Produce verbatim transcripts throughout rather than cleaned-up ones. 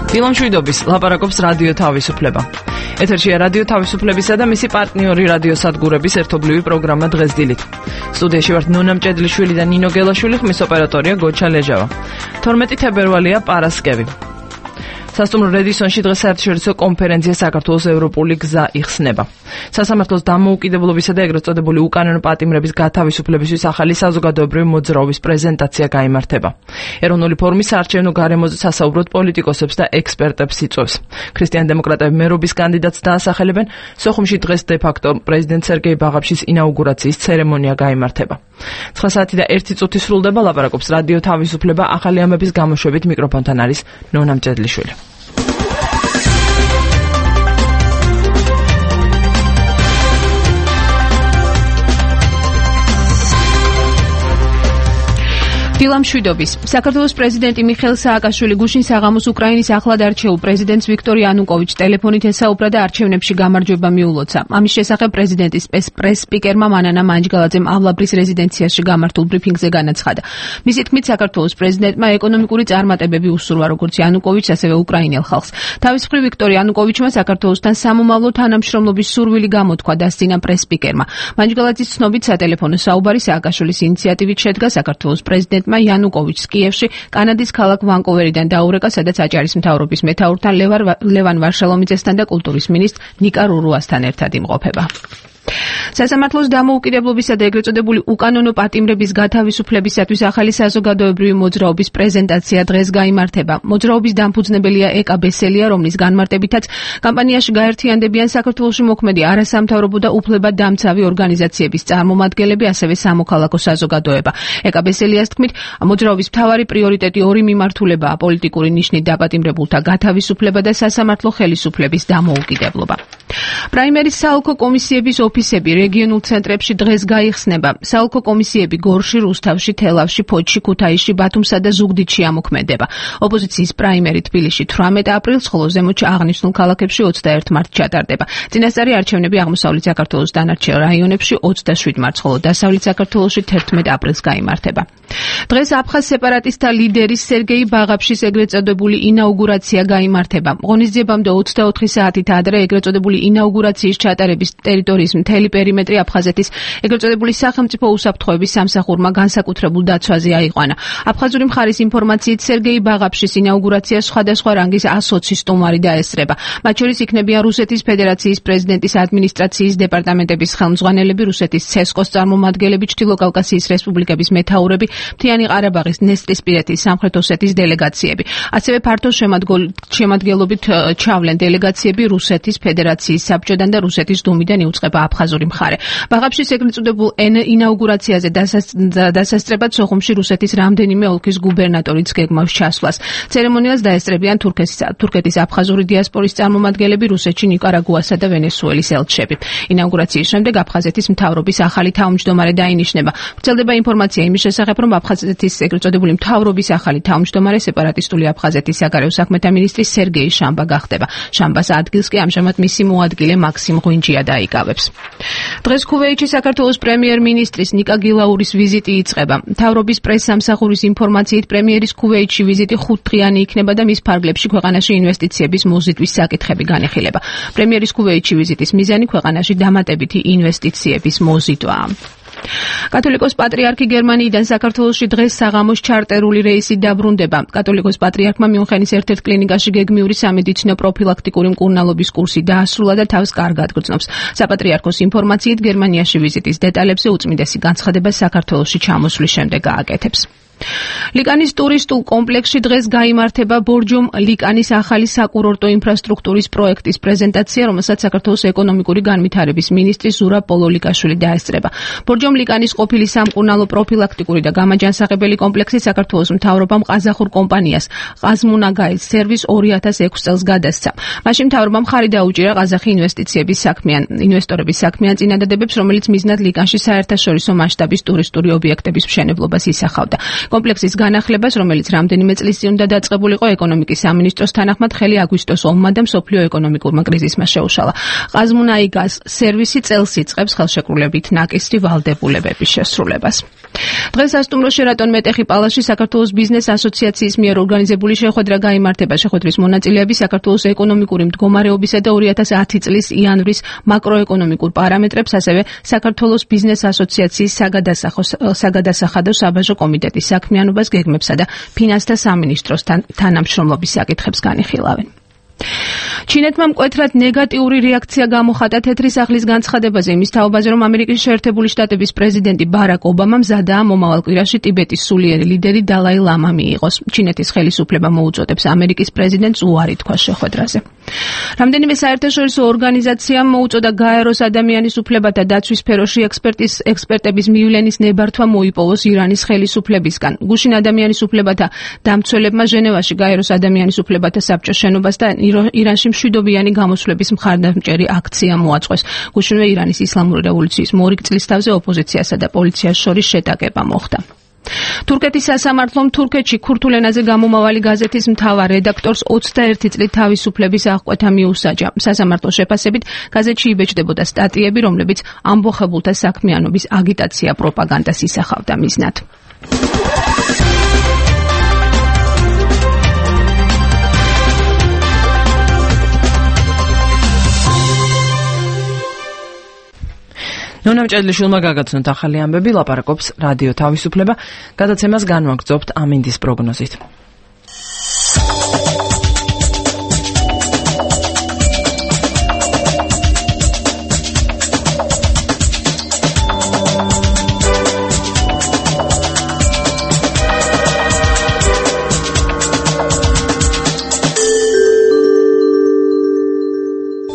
დილამშვიდობის ლაპარაკობს რადიო თავისუფლება. ეთერშია რადიო თავისუფლებისა და მისი პარტნიორი რადიო სადგურების ერთობლივი პროგრამა დღეს დილით. სტუდიაში ვართ ნონა მჭედლიშვილი და ნინო გელაშვილი, ხმის ოპერატორია გოჩა ლეჟავა. თორმეტი თებერვალია პარასკევი. სასტუმრო რედისონში დღეს საერთაშორისო კონფერენცია საქართველოს ევროპული გზა იხსნება. სასამართლოს დამოუკიდებლობისა და ეგრეთ წოდებული უკანონო პატიმრების გათავისუფლებისთვის ახალი საზოგადოებრივი მოძრაობის პრეზენტაცია გაიმართება. ეროვნული ფორუმის საარჩევნო გარემოზე სასაუბროდ პოლიტიკოსებს და ექსპერტებს იწვევს. ქრისტიან-დემოკრატები მერობის კანდიდატს დაასახელებენ. სოხუმში დღეს დე-ფაქტო პრეზიდენტ სერგეი ბაღაფშის ინაუგურაციის ცერემონია გაიმართება. ცხრა საათი და ერთი წუთი სრულდება, ლაპარაკობს რადიო თავისუფლება, ახალი ამების გამოშვებით მიკროფონთან არის ნონა მჭედლიშვილი. დილამშვიდობის. საქართველოს პრეზიდენტი მიხეილ სააკაშვილი გუშინ საღამოს უკრაინის ახლად არჩეულ პრეზიდენტს ვიქტორ იანუკოვიჩს ტელეფონით ესაუბრა და არჩევნებში გამარჯვება მიულოცა. ამის შესახებ პრეზიდენტის პრეს-სპიკერმა მანანა მანჯგალაძემ ავლაბრის რეზიდენციაში გამართულ ბრიფინგზე განაცხადა. მისი თქმით, საქართველოს პრეზიდენტმა ეკონომიკური წარმატებები უსურვა როგორც იანუკოვიჩს, ასევე უკრაინელ ხალხს. თავის მხრივ ვიქტორ იანუკოვიჩმა საქართველოსთან სამომავლო თანამშრომლობის სურვილი გამოთქვა, დასძინა პრეს-სპიკერმა. მანჯგალაძის ცნობით, სატელეფონო საუბარი სააკაშვილის ინიციატივით შედგა საქართველოს პრეზიდენტ იანუკოვიჩს კიევში კანადის ქალაქ ვანკუვერიდან დაურეკა, სადაც აჭარის მთავრობის მეთაურთან ლევან ვარშალომიძესთან და კულტურის მინისტრ ნიკა რურუასთან ერთად იმყოფება. სასამართლოს დამოუკიდებლობისა და ეგრეთ წოდებული უკანონო პატიმრების გათავისუფლებისათვის ახალი საზოგადოებრივი მოძრაობის პრეზენტაცია დღეს გაიმართება. მოძრაობის დამფუძნებელია ეკა ბესელია, რომლის განმარტებითაც კამპანიაში გაერთიანდებიან საქართველოში მოქმედი არასამთავრობო და უფლებადამცავი ორგანიზაციების წარმომადგენლები, ასევე სამოქალაქო საზოგადოება. ეკა ბესელიას თქმით, მოძრაობის მთავარი პრიორიტეტი ორი მიმართულებაა: პოლიტიკური ნიშნით დაპატიმრებულთა გათავისუფლება და სასამართლო ხელისუფლების დამოუკიდებლობა. პრაიმერის საოლქო კომისიების ოფისები რეგიონულ ცენტრებში დღეს გაიხსნება. საოლქო კომისიები გორში, რუსთავში, თელავში, ფოთში, ქუთაისში, ბათუმსა და ზუგდიდში ამოქმედება. ოპოზიციის პრაიმერი თბილისში თვრამეტ აპრილს, ხოლო ზემოთში აღნიშნულ ქალაქებში ოცდაერთი მარტს ჩატარდება. წინასწარი არჩევნები აღმოსავლეთ საქართველოს დანარჩენ რაიონებში ოცდაშვიდ მარტს, ხოლო დასავლეთ საქართველოში თერთმეტ აპრილს გაიმართება. დღეს აფხაზ სეპარატისტთა ლიდერის სერგეი ბაღაფშის ეგრეთ წოდებული ინაუგურაცია გაიმართება. ღონისძიებამდე ოცდაოთხი საათით ადრე ეგრეთ წოდებული ინაუგურაციის ჩატარების ტერიტორიის მთელი პერიმეტრი აფხაზეთის ეგრეთ წოდებული სახელმწიფო უსაფრთხოების სამსახურმა განსაკუთრებულ დაცვაზე აიყვანა. აფხაზური მხარის ინფორმაციით სერგეი ბაღაფშის ინაუგურაციას სხვადასხვა რანგის ოცი სტუმარი დაესწრება. მათ შორის იქნებიან რუსეთის ფედერაციის პრეზიდენტის ადმინისტრაციის დეპარტამენტების ხელმძღვანელები, რუსეთის ცესკოს წარმომადგენლები, ჩრდილოკავკასიის რესპუბლიკების მეთაურები, მთიანი ყარაბაღის, დნესტრისპირეთის, სამხრეთ ოსეთის დელეგაციები. ასევე ფართო შემადგენლობით ჩავლენ დელეგაციები რუსეთის ფედერაციის საბჭოდან და რუსეთის დუმიდან იუწყება აფხაზური მხარე. ბაღაფშის ეგრეთ წოდებულ ინაუგურაციაზე დასასწრებად სოხუმში რუსეთის რამდენიმე ოლქის გუბერნატორიც გეგმავს ჩასვლას. ცერემონიალს დაესწრებიან თურქეთის აფხაზური დიასპორის წარმომადგენლები, რუსეთში ნიკარაგუასა და ვენესუელის ელჩები. ინაუგურაციის შემდეგ აფხაზეთის მთავრობის ახალი თავმჯდომარე დაინიშნება. ვრცელდება ინფორმაცია იმის შესახებ, რომ აფხაზეთის ეგრეთ წოდებული მთავრობის ახალი თავმჯდომარე სეპარატისტული აფხაზეთის საგარეო საქმეთა მინისტრი სერგეი შამბა გახდება. შამბას ადგილს კი ამჟამად მისი მოადგილე მაქსიმ ღვინჯია დაიკავებს. დღეს ქუვეითში საქართველოს პრემიერ-მინისტრის ნიკა გილაურის ვიზიტი იწყება. მთავრობის პრეს-სამსახურის ინფორმაციით პრემიერის ქუვეითში ვიზიტი ხუთდღიანი იქნება და მის ფარგლებში ქვეყანაში ინვესტიციების მოზიდვის საკითხები განეხილება. პრემიერის ქუვეითში ვიზიტის მიზანი ქვეყანაში დამატებითი ინვესტიციების მოზიდვაა. კათოლიკოს პატრიარქი გერმანიიდან საქართველოში დღეს საღამოს ჩარტერული რეისით დაბრუნდება. კათოლიკოს პატრიარქმა მიუნხენის ერთ-ერთ კლინიკაში გეგმიური სამედიცინო პროფილაქტიკური მკურნალობის კურსი დაასრულა და თავს კარგად გრძნობს. საპატრიარქოს ინფორმაციით გერმანიაში ვიზიტის დეტალებზე უწმიდესი განცხადება საქართველოში ჩამოსვლის შემდეგ გააკეთებს. ლიკანის ტურისტულ კომპლექსში დღეს გაიმართება ბორჯომ ლიკანის ახალი საკურორტო ინფრასტრუქტურის პროექტის პრეზენტაცია, რომელსაც საქართველოს ეკონომიკური განვითარების მინისტრი ზურაბ პოლოლიკაშვილი დაესწრება. ბორჯომ ლიკანის ყოფილი სამკურნალო პროფილაქტიკური და გამაჯანსაღებელი კომპლექსი საქართველოს მთავრობამ ყაზახურ კომპანიას ყაზმუნაგაის სერვის ორი ათას ექვსი წელს გადასცა. მაშინ მთავრობამ ხარი დაუჭირა ყაზახი ინვესტიციების საქმიან ინვესტორების საქმიან წინადადებებს, რომელიც მიზნად ლიკანში საერთაშორისო მასშტაბის ტურისტული ობიექტების მშენებლობას ისახავდა. კომპლექსის განახლებას, რომელიც რამდენიმე წლის წინ უნდა დაწყებულიყო ეკონომიკის სამინისტროს თანახმად, ხელი აგვისტოს ომმა და მსოფლიო ეკონომიკურმა კრიზისმა შეუშალა. ყაზმუნაიგას სერვისი წელს იწყებს ხელშეკრულებით ნაკისრი ვალდებულებების შესრულებას. დღეს სასტუმრო შერატონ მეტეხი პალასში საქართველოს ბიზნეს ასოციაციის მიერ ორგანიზებული შეხვედრა გაიმართება. შეხვედრის მონაწილეები საქართველოს ეკონომიკური მდგომარეობისა და ორი ათას ათი წლის იანვრის მაკროეკონომიკურ პარამეტრებს, ასევე საქართველოს ბიზნეს ასოციაციის საგადასახადო საბაჟო კომიტეტის საქმიანობას, გეგმებსა და ფინანსთა სამინისტროს თანამშრომლობის საკითხებს განიხილავენ. ჩინეთმა მკვეთრად ნეგატიური რეაქცია გამოხატა თეთრი სახლის განცხადებაზე იმის თაობაზე, რომ ამერიკის შეერთებული შტატების პრეზიდენტი ბარაკ ობამა მზადაა მომავალ კვირაში ტიბეტის სულიერი ლიდერი დალაი ლამა მიიღოს. ჩინეთის ხელისუფლება მოუწოდებს ამერიკის პრეზიდენტს უარი თქვას შეხვედრაზე. რამდენიმე საერთაშორისო ორგანიზაციამ მოუწოდა გაეროს ადამიანის უფლებათა დაცვის სფეროში ექსპერტის ექსპერტების მივლენის ნებართვა მოიპოვოს ირანის ხელისუფლებისგან. გუშინ ადამიანის უფლებათა დამცველებმა ჟენევაში გაეროს ადამიანის უფლებათა საბჭოს შენობას და ირანში მშვიდობიანი გამოსვლების მხარდამჭერი აქცია მოაწყვეს. გუშინვე ირანის ისლამური რევოლუციის მორიგ წლისთავზე ოპოზიციასა და პოლიციას შორის შეტაკება მოხდა. თურქეთის სასამართლომ თურქეთში ქურთულ ენაზე გამომავალი გაზეთის მთავარ რედაქტორს ოცდაერთი წლით თავისუფლების აღკვეთა მიუსაჯა. სასამართლოს შეფასებით გაზეთში იბეჭდებოდა სტატიები, რომლებიც ამბოხებულთა საქმიანობის აგიტაცია პროპაგანდას ისახავდა მიზნად. ნონა მჭედლიშვილმა გაგაცნოთ ახალი ამბები, ლაპარაკობს რადიო თავისუფლება. გადაცემას განვაგრძობთ ამინდის პროგნოზით.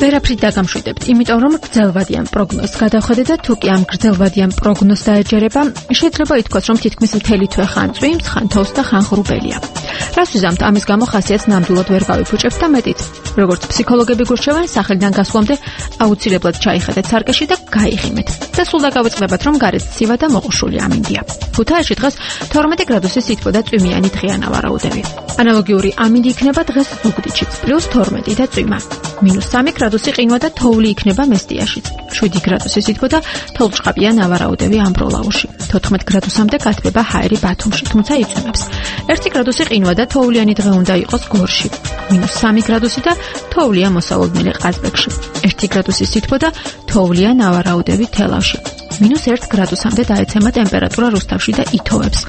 ვერაფრით დაგამშვიდებთ, იმიტომ რომ გრძელვადიან პროგნოზს გადავხედეთ და თუ კი ამ გრძელვადიან პროგნოზს დაეჯერება, შეიძლება ითქვას, რომ თითქმის მთელი თვე ხან წვიმს, ხან თოვს და ხან ღრუბელია. რას ვიზამთ, ამის გამო ხასიათს ნამდვილად ვერ გავიფუჭებთ და მეტიც. როგორც ფსიქოლოგები გურჩევენ, სახელიდან გასვლამდე აუცილებლად ჩაიხედეთ სარკეში და გაიღიმეთ. და სულ დაგავიწყდებათ, რომ გარეთ ცივა და მოყუშული ამინდია. ქუთაისში დღეს თორმეტი გრადუსი სითბო და წვიმიანი დღეა ნავარაუდები. ანალოგიური ამინდი იქნება დღეს ზუგდიდშიც, პლუს თორმეტი და წვიმა. მინუს სამი გრადუსი ყინვა და თოვლი იქნება მესტიაშიც. შვიდი გრადუსი სითბო და თოვლჭყაპია ნავარაუდები ამბროლაუში. თოთხმეტ გრადუსამდე გათბება ჰაერი ბათუმში, თუმცა იწვიმებს. ერთი გრადუსი ყინვა და თოვლიანი დღე უნდა იყოს გორში. მინუს სამი გრადუსი და თოვლია მოსალოდნელი ყაზბეგში. ერთი გრადუსი სითბო და თოვლია ნავარაუდები თელავში. მინუს ერთ გრადუსამდე დაეცემა ტემპერატურა რუსთავში და ითოვებს.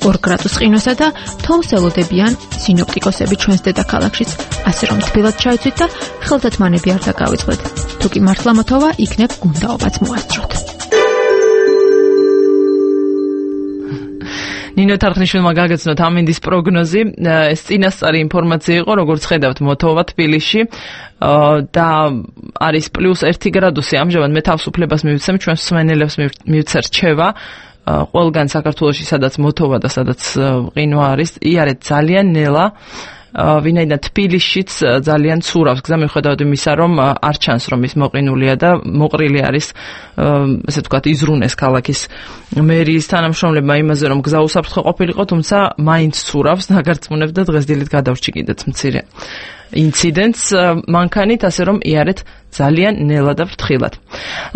ორ გრადუს ყინვასა და თოვს ელოდებიან სინოპტიკოსები ჩვენს დედაქალაქშიც, ასე რომ თბილად ჩაიცვით და ხელთათმანები არ დაგავიწყდეთ. თუ კი მართლა მოთოვა, იქნებ გუნდაობაც მოასწროთ. ნინო თარხნიშვილმა გაგაცნოთ ამინდის პროგნოზი. ეს წინასწარი ინფორმაცია იყო, როგორც ხედავთ, მოთოვა თბილისში და არის პლუს ერთი გრადუსი. ამჟამად მე თავისუფლებას მივცემ, ჩვენს მსმენელებს მივცე რჩევა ყველგან საქართველოში, სადაც მოთოვა და სადაც ყინვა არის, იარეთ ძალიან ნელა. ვინაიდან თბილისშიც ძალიან ცურავს გზა, მიუხედავად იმისა, რომ არ ჩანს, რომ ის მოყინულია და მოყრილი არის, ესე ვთქვათ, იზრუნეს ქალაქის მერიის თანამშრომლებმა იმაზე, რომ გზა უსაფრთხო ყოფილიყო, თუმცა მაინც ცურავს, დაგარწმუნებთ და დღეს დილით გადავრჩი კიდეც მცირე ინციდენტს მანქანით, ასე რომ იარეთ ძალიან ნელა და ფრთხილად.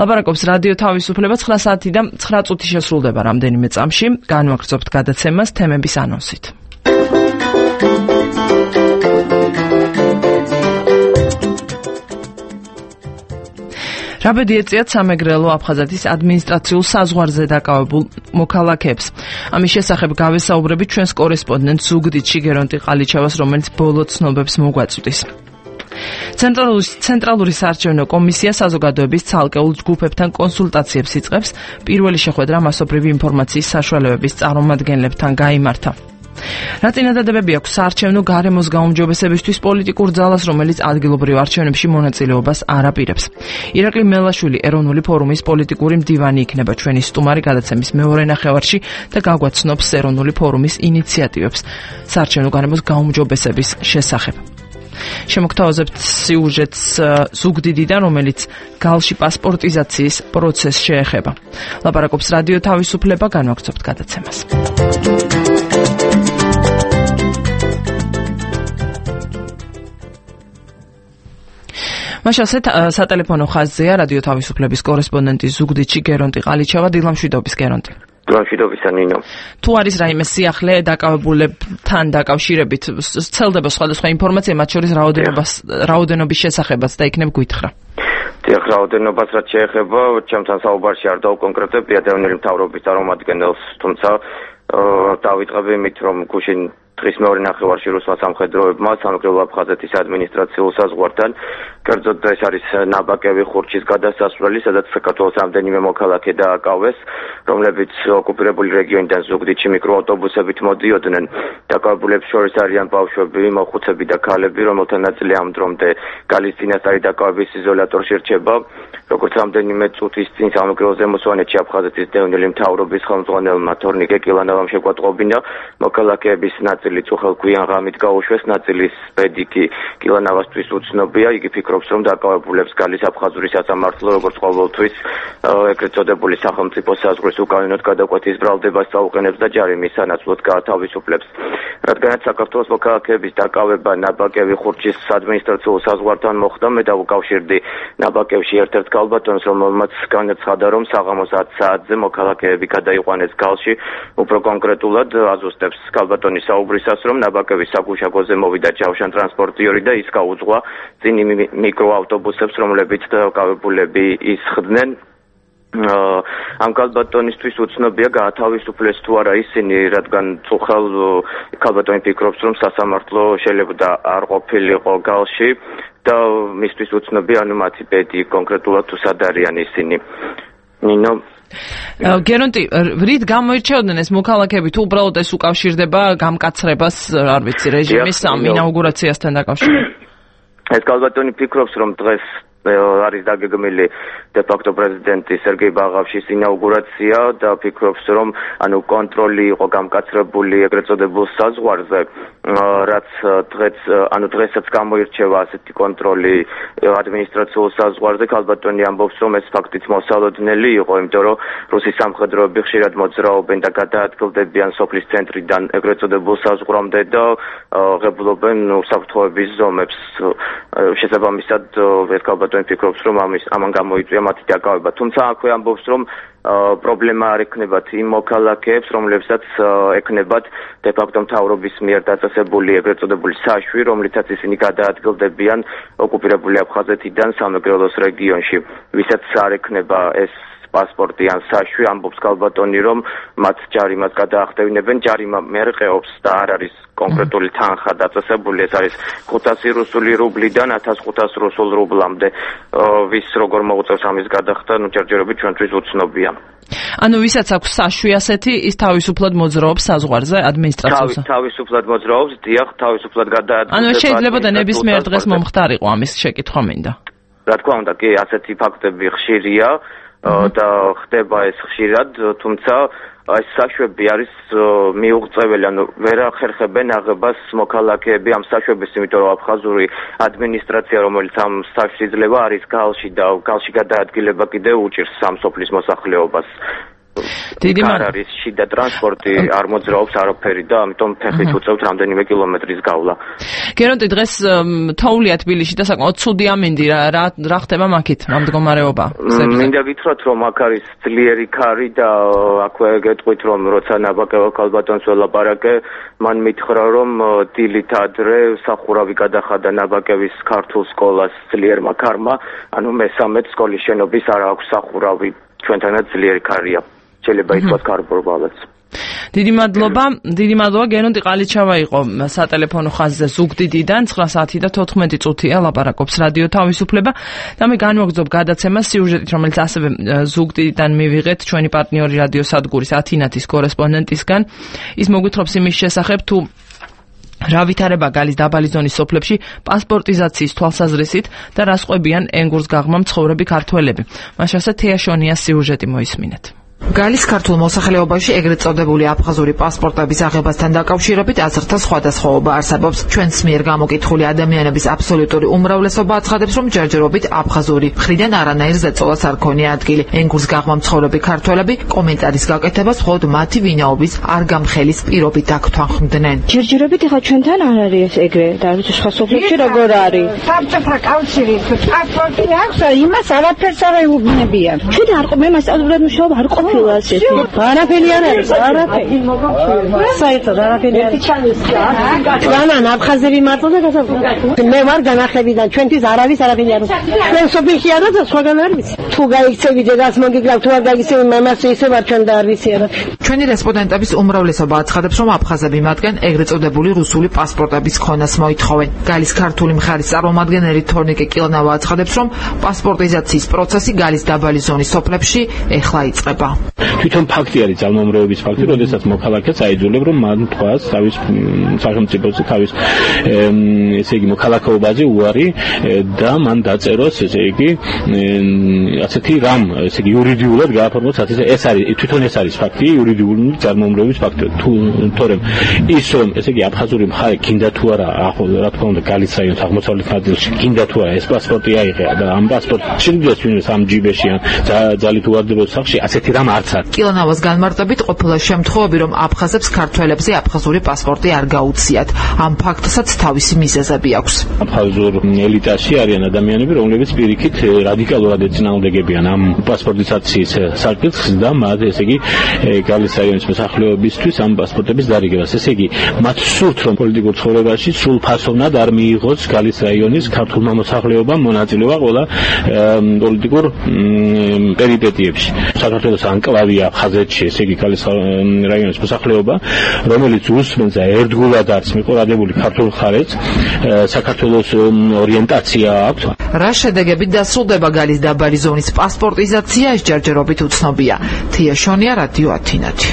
ლაპარაკობს რადიო თავისუფლება. ცხრა საათი და ცხრა წუთი შესრულდება რამდენიმე წამში. განვაგრძობთ გადაცემას თემების ანონსით. რაბედი ეწიათ სამეგრელო აფხაზეთის ადმინისტრაციულ საზღვარზე დაკავებულ მოქალაქეებს. ამის შესახებ გავესაუბრებით ჩვენს კორესპონდენტ ზუგდიდში გერონტი ყალიჩევას, რომელიც ბოლო ცნობებს მოგვაწვდის. ცენტრალური ცენტრალური საარჩევნო კომისია საზოგადოების ცალკეულ ჯგუფებთან კონსულტაციებს იწყებს. პირველი შეხვედრა მასობრივი ინფორმაციის საშუალებების წარმომადგენლებთან გაიმართა. რა წინადადებები აქვს საარჩევნო გარემოს გაუმჯობესებისთვის პოლიტიკურ ძალას, რომელიც ადგილობრივ არჩევნებში მონაწილეობას არ აპირებს. ირაკლი მელაშვილი ეროვნული ფორუმის პოლიტიკური მდივანი იქნება ჩვენი სტუმარი გადაცემის მეორე ნახევარში და გაგვაცნობს ეროვნული ფორუმის ინიციატივებს საარჩევნო გარემოს გაუმჯობესების შესახებ. შემოგთავაზებთ სიუჟეტს ზუგდიდიდან, რომელიც გალში პასპორტიზაციის პროცესს შეეხება. ლაპარაკობს რადიო თავისუფლება, განვაგრძობთ გადაცემას. მაშასე სატელეფონო ხაზზეა რადიო თავისუფლების კორესპონდენტი ზუგდიდში გერონტი ყალიჩევა. დილამშვიდობის, გერონტი. დროშიდობისა ნინო. თუ არის რაიმე სიახლე დაკავებულებთან დაკავშირებით ცელდება სხვადასხვა ინფორმაცია, მათ შორის რაოდენობას რაოდენობის შესახებაც და იქნებ გვითხრა. დიახ, რაოდენობას რაც შეეხება, ჩემთან საუბარში არ დავკონკრეტებ დევნილი მთავრობის წარმომადგენელს, თუმცა დავიწყებ იმით, რომ გუშინ დღის მეორე ნახევარში რუსმა სამხედროებმა სამეგრელო აფხაზეთის ადმინისტრაციულ საზღვართან კერძოდ ეს არის ნაბაკევი ხურჩის გადასასვლელი, სადაც საქართველოს რამდენიმე მოქალაქე დააკავეს, რომლებიც ოკუპირებული რეგიონიდან ზუგდიდში მიკროავტობუსებით მოდიოდნენ. დაკავებულებს შორის არიან ბავშვები, მოხუცები და ქალები, რომელთა ნაწილი ამ დრომდე გალის წინასწარი დაკავების იზოლატორში რჩება. როგორც რამდენიმე წუთის წინ სამეგრელო ზემოსვანეთში აფხაზეთის დევნილი მთავრობის ხელმძღვანელმა თორნიკე კილანავამ შეგვატყობინა, მოქალაქეების ნაწილი წუხელქვიან ღამით გაუშვეს, ნაწილის ბედი კი კილანავასთვის უცნობია. იგი ფიქრობს, რომ დაკავებულებს გალის აფხაზური სასამართლო, როგორც ყოველთვის ეგრეთ წოდებული სახელმწიფო საზღვრის უკანონოდ გადაკვეთის ბრალდებას წაუყენებს და ჯარიმის სანაცვლოდ გაათავისუფლებს. რადგანაც საქართველოს მოქალაქეების დაკავება ნაბაკევი ხურჩის ადმინისტრაციულ საზღვართან მოხდა, მე დავუკავშირდი ნაბაკევში ერთ-ერთ ქალბატონს, რომელმაც განაცხადა, რომ საღამოს ათ საათზე მოქალაქეები გადაიყვანეს გალში, უფრო კონკრეტულად აზუსტებს ქალბატონის საუბრისას, რომ ნაბაკევის საგუშაგოზე მოვიდა ჯავშან ტრანსპორტიორი და ის გაუძღვა წინ მიკროავტობუსებს, რომლებიც დაკავებულები ისხდნენ. ამ ქალბატონისთვის უცნობია გაათავისუფლეს თუ არა ისინი, რადგან წუხელ ქალბატონი ფიქრობს, რომ სასამართლო შეიძლება არ ყოფილიყო გალში და მისთვის უცნობია, ანუ მათი ბედი კონკრეტულად თუ სად არიან ისინი. ნინო გერონტი, რით გამოირჩეოდნენ ეს მოქალაქეები, თუ უბრალოდ ეს უკავშირდება გამკაცრებას, არ ვიცი, რეჟიმის ამ ინაუგურაციასთან დაკავშირებით? ეს ქალბატონი ფიქრობს, რომ დღეს არის დაგეგმილი დე-ფაქტო პრეზიდენტის სერგეი ბაღავშის ინაუგურაცია და ფიქრობს, რომ ანუ კონტროლი იყო გამკაცრებული ეგრეთ წოდებულ საზღვარზე, რაც დღეს ანუ დღესაც გამოირჩევა ასეთი კონტროლი ადმინისტრაციულ საზღვარზე. ქალბატონი ამბობს, რომ ეს ფაქტიც მოსალოდნელი იყო, იმიტომ რომ რუსის სამხედროები ხშირად მოძრაობენ და გადაადგილდებიან სოფლის ცენტრიდან ეგრეთ წოდებულ საზღვრამდე და ღებულობენ უსაფრთხოების ზომებს. შესაბამისად, ეს ქალბატონი ფიქრობს, რომ ამის ამან გამოიწვია მათი დაკავება. თუმცა აქვე ამბობს, რომ პრობლემა არ ექნებათ იმ მოქალაქეებს, რომლებსაც ექნებათ დე-ფაქტო მთავრობის მიერ დაწესებული ეგრეთ წოდებული საშვი, რომლითაც ისინი გადაადგილდებიან ოკუპირებული აფხაზეთიდან სამეგრელოს რეგიონში. ვისაც არ ექნება ეს პასპორტი ან საშვი, ამბობს ქალბატონი, რომ მათ ჯარიმას გადაახდევინებენ. ჯარიმა მერყეობს და არ არის კონკრეტული თანხა დაწესებული, ეს არის ხუთასი რუსული რუბლიდან ათას ხუთას რუსულ რუბლამდე. ვის როგორ მოუწევს ამის გადახდა, ნუ ჯერჯერობით ჩვენთვის უცნობია. ანუ ვისაც აქვს საშვი ასეთი, ის თავისუფლად მოძრაობს საზღვარზე ადმინისტრაციულს. თავისუფლად მოძრაობს, დიახ, თავისუფლად გადაადგილდება. ანუ შეიძლება და ნებისმიერ დღეს მომხდარიყო ამის შეკითხვა მინდა. რა თქმა უნდა, კი, ასეთი ფაქტები ხშირია და ხდება ეს ხშირად, თუმცა ეს საშვები არის მიუღწეველი, ანუ ვერ ახერხებენ აღებას მოქალაქეები ამ საშვების, იმიტომ რომ აფხაზური ადმინისტრაცია, რომელიც ამ საშვს იძლევა, არის გალში და გალში გადაადგილება კიდევ უჭირს ამ სოფლის მოსახლეობას. დიდი არის შიდა ტრანსპორტი, არ მოძრაობს არაფერი და ამიტომ ფეხით უწევთ რამდენიმე კილომეტრის გავლა. გერონტი, დღეს თოვლია თბილისში და საკმაოდ ცუდი ამინდი, რა რა ხდება მაქით, რა მდგომარეობა? მინდა გითხრათ, რომ აქ არის ძლიერი ქარი და აქვე გეტყვით, რომ როცა ნაბაკევ ქალბატონს ველაპარაკე, მან მითხრა, რომ დილით ადრე სახურავი გადახადა ნაბაკევის ქართულ სკოლას ძლიერმა ქარმა, ანუ მესამედ სკოლის შენობის არ აქვს სახურავი, ჩვენთანაც ძლიერი ქარია. შეიძლება ითქვას კარბორბალაც. დიდი მადლობა, დიდი მადლობა. გერონტი ყალიჩავა იყო სატელეფონო ხაზზე ზუგდიდიდან, ცხრა საათი და თოთხმეტი წუთია ლაპარაკობს რადიო თავისუფლება და მე განვაგრძობ გადაცემას სიუჟეტით, რომელიც ასევე ზუგდიდიდან მივიღეთ ჩვენი პარტნიორი რადიო სადგურის ათინათის კორესპონდენტისგან. ის მოგვითხრობს იმის შესახებ, თუ რა ვითარება გალის დაბალი ზონის სოფლებში პასპორტიზაციის თვალსაზრისით და რა სხვებიან ენგურს გაღმა მცხოვრები ქართველები. მას შესაძლოა თეაშონიას სიუჟეტი მოისმინეთ. გალის ქართულ მოსახლეობაში ეგრეთ წოდებული აფხაზური პასპორტების აღებასთან დაკავშირებით აზრთა სხვადასხვაობა არსებობს. ჩვენს მიერ გამოკითხული ადამიანების აბსოლუტური უმრავლესობა აცხადებს, რომ ჯერჯერობით აფხაზური მხრიდან არანაირ ზეწოლას არ ქონია ადგილი. ენგურს გაღმა მცხოვრები ქართველები კომენტარის გაკეთებას მხოლოდ მათი ვინაობის არ გამხელის პირობით აქთანხმდნენ. ჯერჯერობით ეხლა ჩვენთან არ არის ეს ეგრე და ვიცი სხვა სოფლებში როგორ არის. საბჭოთა კავშირის პასპორტი აქვს, იმას არაფერს არ ეუბნებიან. ჩვენ არ ყო მე მასწავლებლად მუშაობა არ ყო ყოფილა ასეთი. არაფერი არ არის, არაფერი. საერთოდ არაფერი არ არის. განან აფხაზები მარტო და გასაფრთხო. მე ვარ განახლებიდან, ჩვენთვის არავის არაფერი არ არის. ჩვენ სოფელში არა და სხვაგან არ ვიცი. თუ გაიქცევი დედას მოგიგრავ, თუ არ გაიქცევი მამას ისე ვარ ჩვენ და არ ვიცი არა. ჩვენი რესპონდენტების უმრავლესობა აცხადებს, რომ აფხაზები მათგან ეგრეთ წოდებული რუსული პასპორტების ქონას მოითხოვენ. გალის ქართული მხარის წარმომადგენელი თორნიკე კილნავა აცხადებს, რომ პასპორტიზაციის პროცესი გალის დაბალი ზონის სოფლებში ეხლა იწყება. თვითონ ფაქტი არის ძალმომრევების ფაქტი, როდესაც მოქალაქეც აიძულებ, რომ მან თქვას თავის სახელმწიფოზე, თავის ესე იგი მოქალაქეობაზე უარი და მან დაწეროს ესე იგი ასეთი რამ, ესე იგი იურიდიულად გააფორმოს, ეს არის თვითონ ეს არის ფაქტი, იურიდიული ძალმომრევების ფაქტი. თორემ ის რომ ესე იგი აფხაზური მხარე გინდა თუ არა, რა თქმა უნდა, გალის რაიონის აღმოსავლეთ ნაწილში გინდა თუ არა ეს პასპორტი აიღე და ამ პასპორტი შეიძლება ვინმეს ამ ჯიბეში ან ძალით უვარდებოდა სახში, ასეთი რამ არც არის. კილნავას განმარტებით ყოფილა შემთხვევები, რომ აფხაზებს ქართველებზე აფხაზური პასპორტი არ გაუციათ. ამ ფაქტსაც თავისი მიზეზები აქვს. აფხაზურ ელიტაში არიან ადამიანები, რომლებიც პირიქით რადიკალურად ეწინააღმდეგებიან ამ პასპორტიზაციის საკითხს და მათ ესე იგი გალის რაიონის მოსახლეობისთვის ამ პასპორტების დარიგებას. ესე იგი, მათ სურთ, რომ პოლიტიკურ ცხოვრებაში სულ ფასოვნად არ მიიღოს გალის რაიონის ქართულმა მოსახლეობამ მონაწილეობა ყველა პოლიტიკურ პერიპეტიებში. საქართველოს ანკლავია ხაზეთში, ესე იგი გალის რაიონის მოსახლეობა, რომელიც უსმენს და ერთგულად არის მიყურადებული ქართულ მხარეს, საქართველოს ორიენტაცია აქვს. რა შედეგებით დასრულდება გალის დაბალი ზონის პასპორტიზაცია, ეს ჯერჯერობით უცნობია. თია შონია, რადიო ათინათი.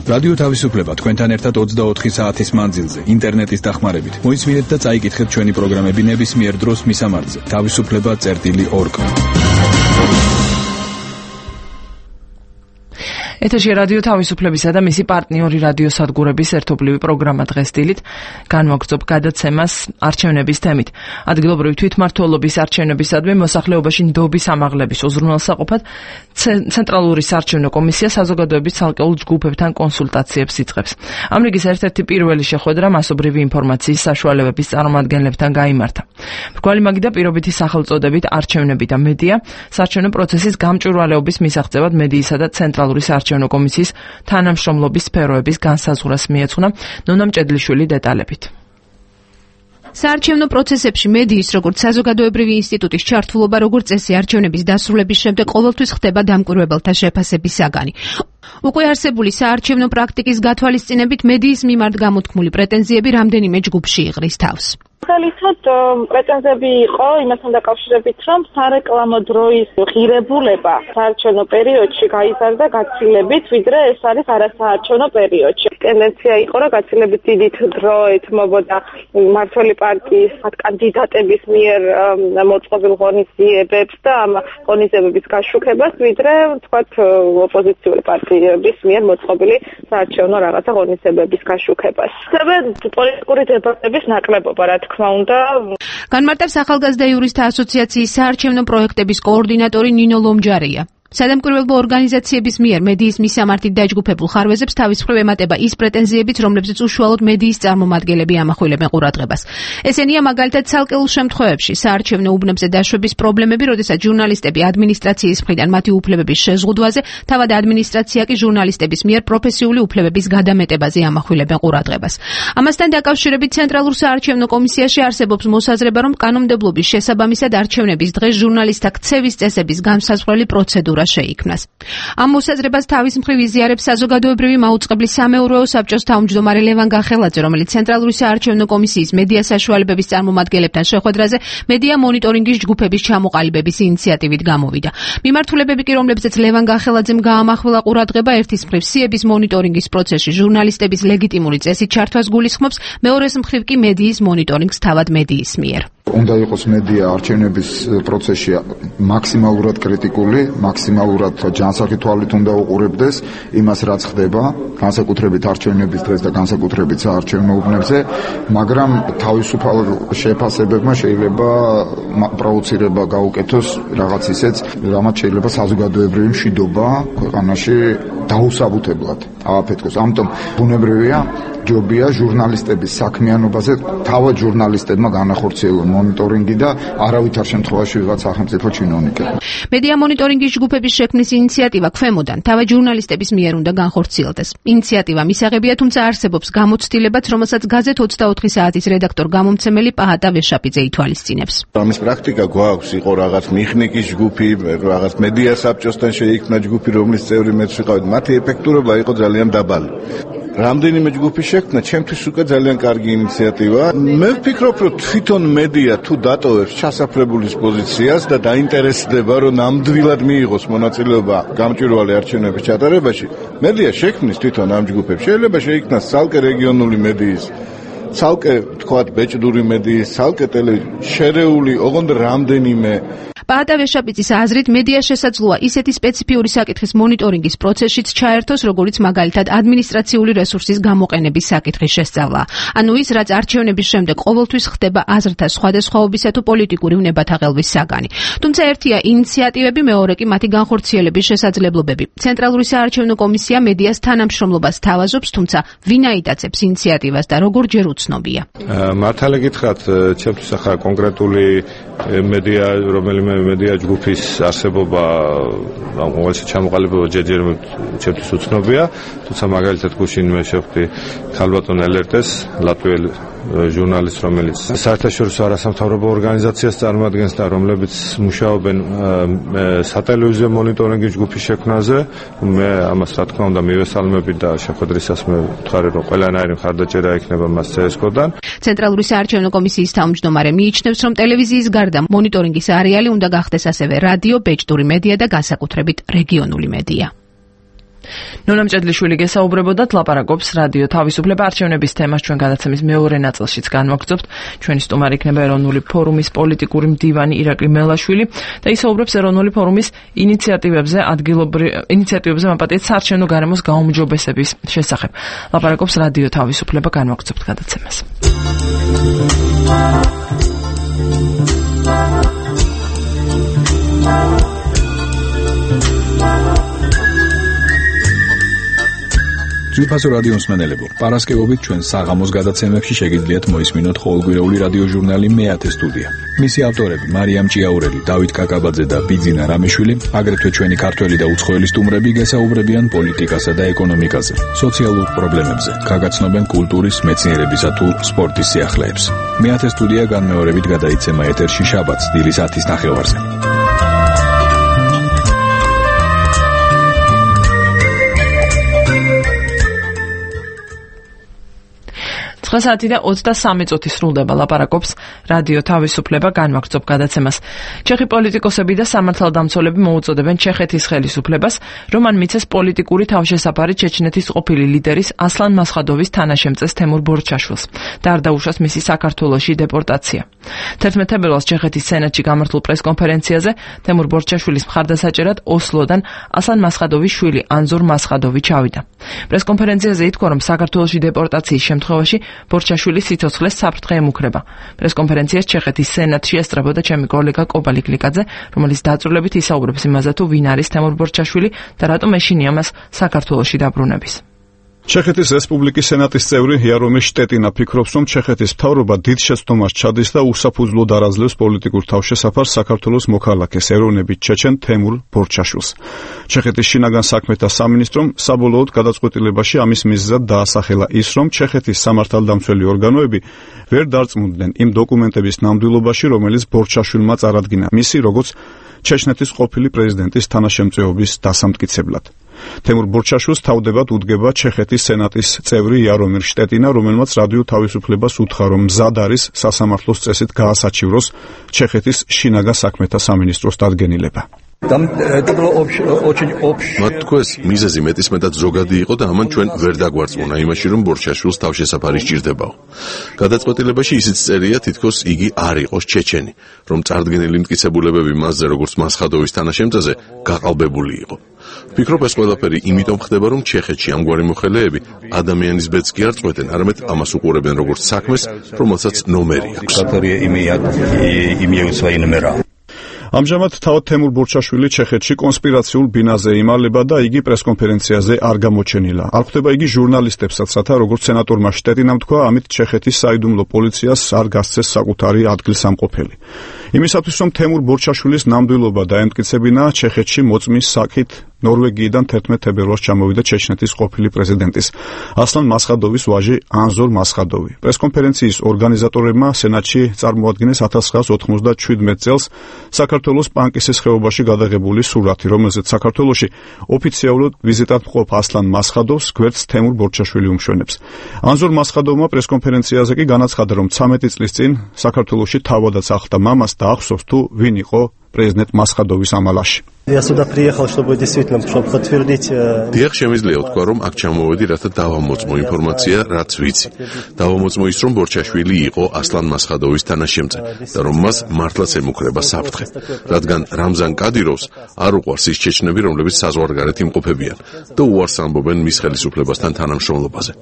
რადიო თავისუფლება თქვენთან ერთად ოცდაოთხი საათის მანძილზე ინტერნეტის დახმარებით. მოისმინეთ და წაიკითხეთ ჩვენი პროგრამები ნებისმიერ დროს მისამართზე თავისუფლება წერტილი ორგ. ეთერში რადიო თავისუფლებისა და მისი პარტნიორი რადიო სადგურების ერთობლივი პროგრამა დღეს დილით განვაგრძობ გადაცემას არჩევნების თემით. ადგილობრივი თვითმმართველობის არჩევნებისადმი მოსახლეობაში ნდობის ამაღლების უზრუნველსაყოფად ცენტრალური საარჩევნო კომისია საზოგადოების ცალკეულ ჯგუფებთან კონსულტაციებს იწყებს. ამ რიგის ერთ-ერთი პირველი შეხვედრა მასობრივი ინფორმაციის საშუალებების წარმომადგენლებთან გაიმართა. მრგვალი მაგიდა პირობითი სახელწოდებით არჩევნები და მედია საარჩევნო პროცესის გამჭვირვალეობის მისაღწევად მედიისა და ცენტრალური საარჩევნო კომისიის თანამშრომლობის სფეროების განსაზღვრას მიეძღვნა ნონა მჭედლიშვილი დეტალებით. საარჩევნო პროცესებში მედიის როგორც საზოგადოებრივი ინსტიტუტის ჩართულობა როგორც წესი არჩევნების დასრულების შემდეგ ყოველთვის ხდება დამკვირვებელთა შეფასების საგანი. უკვე არსებული საარჩევნო პრაქტიკის გათვალისწინებით მედიის მიმართ გამოთქმული პრეტენზიები რამდენიმე ჯგუფში იღრის თავს. ხალისად პრეტენზიები იყო იმასთან დაკავშირებით, რომ სარეკლამო დროის ღირებულება საარჩევნო პერიოდში გაიზარდა გაცილებით, ვიდრე ეს არის არასაარჩევნო პერიოდში. ტენდენცია იყო, რომ გაცილებით დიდი დრო ეთმობოდა მმართველი პარტიის კანდიდატების მიერ მოწყობილ ღონისძიებებს და ამ ღონისძიებების გაშუქებას, ვიდრე თქვათ ოპოზიციური პარტიების მიერ მოწყობილი საარჩევნო რაღაცა ღონისძიებების გაშუქებას. პოლიტიკური დებატების ნაკლებობა, რა თქმა უნდა. განმარტავს ახალგაზრდა იურისტთა ასოციაციის საარჩევნო პროექტების კოორდინატორი ნინო ლომჯარია. სადამკვირვებლო ორგანიზაციების მიერ მედიის მისამართით დაჯგუფებულ ხარვეზებს თავის მხრივ ემატება ის პრეტენზიებიც, რომლებზეც უშუალოდ მედიის წარმომადგენლები ამახვილებენ ყურადღებას. ესენია მაგალითად ცალკეულ შემთხვევებში საარჩევნო უბნებზე დაშვების პრობლემები, როდესაც ჟურნალისტები ადმინისტრაციის მხრიდან მათი უფლებების შეზღუდვაზე, თავად ადმინისტრაცია კი ჟურნალისტების მიერ პროფესიული უფლებების გადამეტებაზე ამახვილებენ ყურადღებას. ამასთან დაკავშირებით ცენტრალურ საარჩევნო კომისიაში არსებობს მოსაზრება, რომ კანონმდებლობის შესაბამისად არჩევნების დღეს ჟურნალისტთა ქცევის წესების განსაზღვრელი პროცედურა შეიქმნას. ამ მოსაზრებას თავის მხრივ იზიარებს საზოგადოებრივი მაუწყებლის სამეურვეო საბჭოს თავმჯდომარე ლევან გახელაძე, რომელიც ცენტრალური საარჩევნო კომისიის მედია საშუალებების წარმომადგენლებთან შეხვედრაზე მედია მონიტორინგის ჯგუფების ჩამოყალიბების ინიციატივით გამოვიდა. მიმართულებები კი, რომლებზეც ლევან გახელაძემ გაამახვილა ყურადღება, ერთის მხრივ სიების მონიტორინგის პროცესში ჟურნალისტების ლეგიტიმური წესით ჩართვას გულისხმობს, მეორეს მხრივ კი მედიის მონიტორინგს თავად მედიის მიერ. უნდა იყოს მედია არჩევნების პროცესში მაქსიმალურად კრიტიკული, მაქსიმალურად ჯანსაღი თვალით უნდა უყურებდეს იმას, რაც ხდება, განსაკუთრებით არჩევნების დღეს და განსაკუთრებით საარჩევნო უბნებზე, მაგრამ თავისუფალ შეფასებებმა შეიძლება პროვოცირება გაუკეთოს რაღაც ისეც, რამაც შეიძლება საზოგადოებრივი მშვიდობა ქვეყანაში დაუსაბუთებლად ააფეთქოს. ამიტომ ბუნებრივია ჯობია ჟურნალისტების საქმიანობაზე თავად ჟურნალისტებმა განახორციელონ მონიტორინგი და არავითარ შემთხვევაში ვიღაც სახელმწიფო ჩინოვნიკები. მედია მონიტორინგის ჯგუფების შექმნის ინიციატივა ქვემოდან თავად ჟურნალისტების მიერ უნდა განხორციელდეს. ინიციატივა მისაღებია, თუმცა არსებობს გამოცდილებაც, რომელსაც გაზეთ ოცდაოთხი საათის რედაქტორ გამომცემელი პაჰატა ვეშაპიძე ითვალისწინებს. ამის პრაქტიკა გვაქვს, იყო რაღაც მიხნიკის ჯგუფი, რაღაც მედია საბჭოსთან შეიქმნა ჯგუფი, რომლის წევრი მეც ვიყავით, მათი ეფექტურობა იყო ძალიან დაბალი. რამდენიმე ჯგუფის შექმნა ჩემთვის უკვე ძალიან კარგი ინიციატივა. მე ვფიქრობ, რომ თვითონ მედია თუ დატოვებს ჩასაფრებულის პოზიციას და დაინტერესდება, რომ ნამდვილად მიიღოს მონაწილეობა გამჭვირვალე არჩევნების ჩატარებაში, მედია შექმნის თვითონ ამ ჯგუფებს. შეიძლება შეიქმნას ცალკე რეგიონული მედიის, ცალკე თქვათ ბეჭდური მედიის, ცალკე ტელე შერეული, ოღონდ რამდენიმე. პაჰატა ვეშაპიძის აზრით, მედია შესაძლოა ისეთი სპეციფიური საკითხის მონიტორინგის პროცესშიც ჩაერთოს, როგორც მაგალითად ადმინისტრაციული რესურსის გამოყენების საკითხის შესწავლა. ანუ ის, რაც არჩევნების შემდეგ ყოველთვის ხდება აზრთა სხვადასხვაობისა თუ პოლიტიკური უნებათაღელვის საგანი. თუმცა ერთია ინიციატივები, მეორე კი მათი განხორციელების შესაძლებლობები. ცენტრალური საარჩევნო კომისია მედიას თანამშრომლობას თავაზობს, თუმცა ვინ აიტაცებს ინიციატივას და როგორ ჯერ უცნობია. მართალი გითხრათ, ჩემთვის ახლა კონკრეტული მედია, რომელიმე მედია ჯგუფის არსებობა, ამ ყოველში ჩამოყალიბება ჯერჯერობით ჩემთვის უცნობია, თუმცა მაგალითად გუშინ მე შევხვდი ქალბატონ ელერტეს, ლატვიელ ჟურნალისტს, რომელიც საერთაშორისო არასამთავრობო ორგანიზაციას წარმოადგენს და რომლებიც მუშაობენ სატელევიზიო მონიტორინგის ჯგუფის შექმნაზე. მე ამას რა თქმა უნდა მივესალმები და შეხვედრისას მე ვთქვარი, რომ ყველანაირი მხარდაჭერა ექნება მას ცსკ-დან. ცენტრალური საარჩევნო კომისიის თავმჯდომარე მიიჩნევს, რომ ტელევიზიის გარდა მონიტორინგის არეალი უნდა გახდეს ასევე რადიო, ბეჭდური მედია და განსაკუთრებით რეგიონული მედია. ნონა მჭედლიშვილი გესაუბრებოდათ, ლაპარაკობს რადიო თავისუფლება არჩევნების თემას. ჩვენ გადაცემის მეორე ნაწილშიც განვაგრძობთ. ჩვენი სტუმარი იქნება ეროვნული ფორუმის პოლიტიკური მდივანი ირაკლი მელაშვილი და ისაუბრებს ეროვნული ფორუმის ინიციატივებზე, ადგილობრივ ინიციატივებზე მაპატიეთ საარჩევნო გარემოს გაუმჯობესების შესახებ. ლაპარაკობს რადიო თავისუფლება, განვაგრძობთ გადაცემას. ძვირფასო რადიო მსმენელებო, პარასკევობით ჩვენ საღამოს გადაცემებში შეგიძლიათ მოისმინოთ ყოველკვირეული რადიო ჟურნალი მეათე სტუდია. მისი ავტორები მარიამ ჭიაურელი, დავით კაკაბაძე და ბიძინა რამეშვილი, აგრეთვე ჩვენი ქართველი და უცხოელი სტუმრები გესაუბრებიან პოლიტიკასა და ეკონომიკაზე, სოციალურ პრობლემებზე, გაგაცნობენ კულტურის, მეცნიერებისა თუ სპორტის სიახლეებს. მეათე სტუდია განმეორებით გადაიცემა ეთერში შაბათს დილის ათის ნახევარზე. ცხრა საათი და ოცდასამი წუთი სრულდება, ლაპარაკობს რადიო თავისუფლება, განვაგრძობ გადაცემას. ჩეხი პოლიტიკოსები და სამართალდამცველები მოუწოდებენ ჩეხეთის ხელისუფლებას, რომ მან მიცეს პოლიტიკური თავშესაფარი ჩეჩნეთის ყოფილი ლიდერის ასლან მასხადოვის თანაშემწეს თემურ ბორჩაშვილს და არ დაუშვას მისი საქართველოში დეპორტაცია. თერთმეტ თებერვალს ჩეხეთის სენატში გამართულ პრესკონფერენციაზე თემურ ბორჩაშვილის მხარდასაჭერად ოსლოდან ასლან მასხადოვის შვილი ანზორ მასხადოვი ჩავიდა. პრესკონფერენციაზე ითქვა, რომ საქართველოში დეპორტაციის შემთხვევაში ბორჩაშვილის სიცოცხლეს საფრთხე ემუქრება. პრესკონფერენციას ჩეხეთის სენატში ესწრებოდა ჩემი კოლეგა კობალი გლიკაძე, რომელიც დაწვრილებით ისაუბრებს იმაზე, თუ ვინ არის თემურ ბორჩაშვილი და რატომ ეშინია მას საქართველოში დაბრუნების. ჩეხეთის რესპუბლიკის სენატის წევრი იარომირ შტეტინა ფიქრობს, რომ ჩეხეთის მთავრობა დიდ შეცდომას ჩადის და უსაფუძვლოდ არაძლევს პოლიტიკურ თავშესაფარს საქართველოს მოქალაქეს ეროვნებით ჩეჩენ თემურ ბორჩაშვილს. ჩეხეთის შინაგან საქმეთა სამინისტრომ საბოლოოდ გადაწყვეტილებაში ამის მიზეზად დაასახელა ის, რომ ჩეხეთის სამართალდამცველი ორგანოები ვერ დარწმუნდნენ იმ დოკუმენტების ნამდვილობაში, რომელიც ბორჩაშვილმა წარადგინა მისი როგორც ჩეჩნეთის ყოფილი პრეზიდენტის თანაშემწეობის დასამტკიცებლად. თემურ ბორჩაშვილს თავდებად უდგება ჩეხეთის სენატის წევრი იარომირ შტეტინა, რომელმაც რადიო თავისუფლებას უთხრა, რომ მზად არის სასამართლოს წესით გაასაჩივროს ჩეხეთის შინაგან საქმეთა სამინისტროს დადგენილება. მათ თქვეს მიზეზი მეტისმეტად ზოგადი იყო და ამან ჩვენ ვერ დაგვარწმუნა იმაში, რომ ბორჩაშვილს თავშესაფარი სჭირდებაო. გადაწყვეტილებაში ისიც წერია, თითქოს იგი არ იყოს ჩეჩენი, რომ წარდგენილი მტკიცებულებები მასზე როგორც მასხადოვის თანაშემწეზე გაყალბებული იყო. ვფიქრობ, ეს ყველაფერი იმიტომ ხდება, რომ ჩეხეთში ამგვარი მოხელეები ადამიანის ბედს კი არ წყვეტენ, არამედ ამას უყურებენ როგორც საქმეს, რომელსაც ნომერი აქვს. ამჟამად თავად თემურ ბორჩაშვილი ჩეხეთში კონსპირაციულ ბინაზე იმალება და იგი პრესკონფერენციაზე არ გამოჩენილა. არ ხვდება იგი ჟურნალისტებსაც, რათა როგორც სენატორმა შტეტინამ თქვა, ამით ჩეხეთის საიდუმლო პოლიციას არ გასცეს საკუთარი ადგილსამყოფელი. იმისათვის, რომ თემურ ბორჩაშვილის ნამდვილობა დაემტკიცებინა, ჩეხეთში მოწმის საკით ნორვეგიიდან თერთმეტ თებერვალს ჩამოვიდა ჩეჩნეთის ყოფილი პრეზიდენტის ასლან მასხადოვის ვაჟი ანზორ მასხადოვი. პრესკონფერენციის ორგანიზატორებმა სენატში წარმოადგინეს ათას ცხრაას ოთხმოცდაშვიდმეტ წელს საქართველოს პანკისის ხეობაში გადაღებული სურათი, რომელზეც საქართველოში ოფიციალურად ვიზიტად მყოფ ასლან მასხადოვს გვერდს თემურ ბორჩაშვილი უმშვენებს. ანზორ მასხადოვმა პრესკონფერენციაზე კი განაცხადა, რომ ცამეტი წლის წინ საქართველოში თავადაც ახლდა მამას და ახსოვს თუ ვინ იყო პრეზიდენტ მასხადოვის ამალაში. Я сюда приехал, чтобы действительно, чтобы подтвердить. Დიახ, შემიძლია ვთქვა, რომ აქ ჩამოვედი, რათა დავამოწმო ინფორმაცია, რაც ვიცი. დავამოწმო ის, რომ ბორჩაშვილი იყო ასლან მასხადოვის თანაშემწე და რომ მას მართლაც ემუქრება საფრთხე, რადგან რამზან კადიროვს არ უყვარს ის ჩეჩნები, რომლებიც საზღვარგარეთ იმყოფებიან და უარს ამბობენ მის ხელისუფლებასთან თანამშრომლობაზე.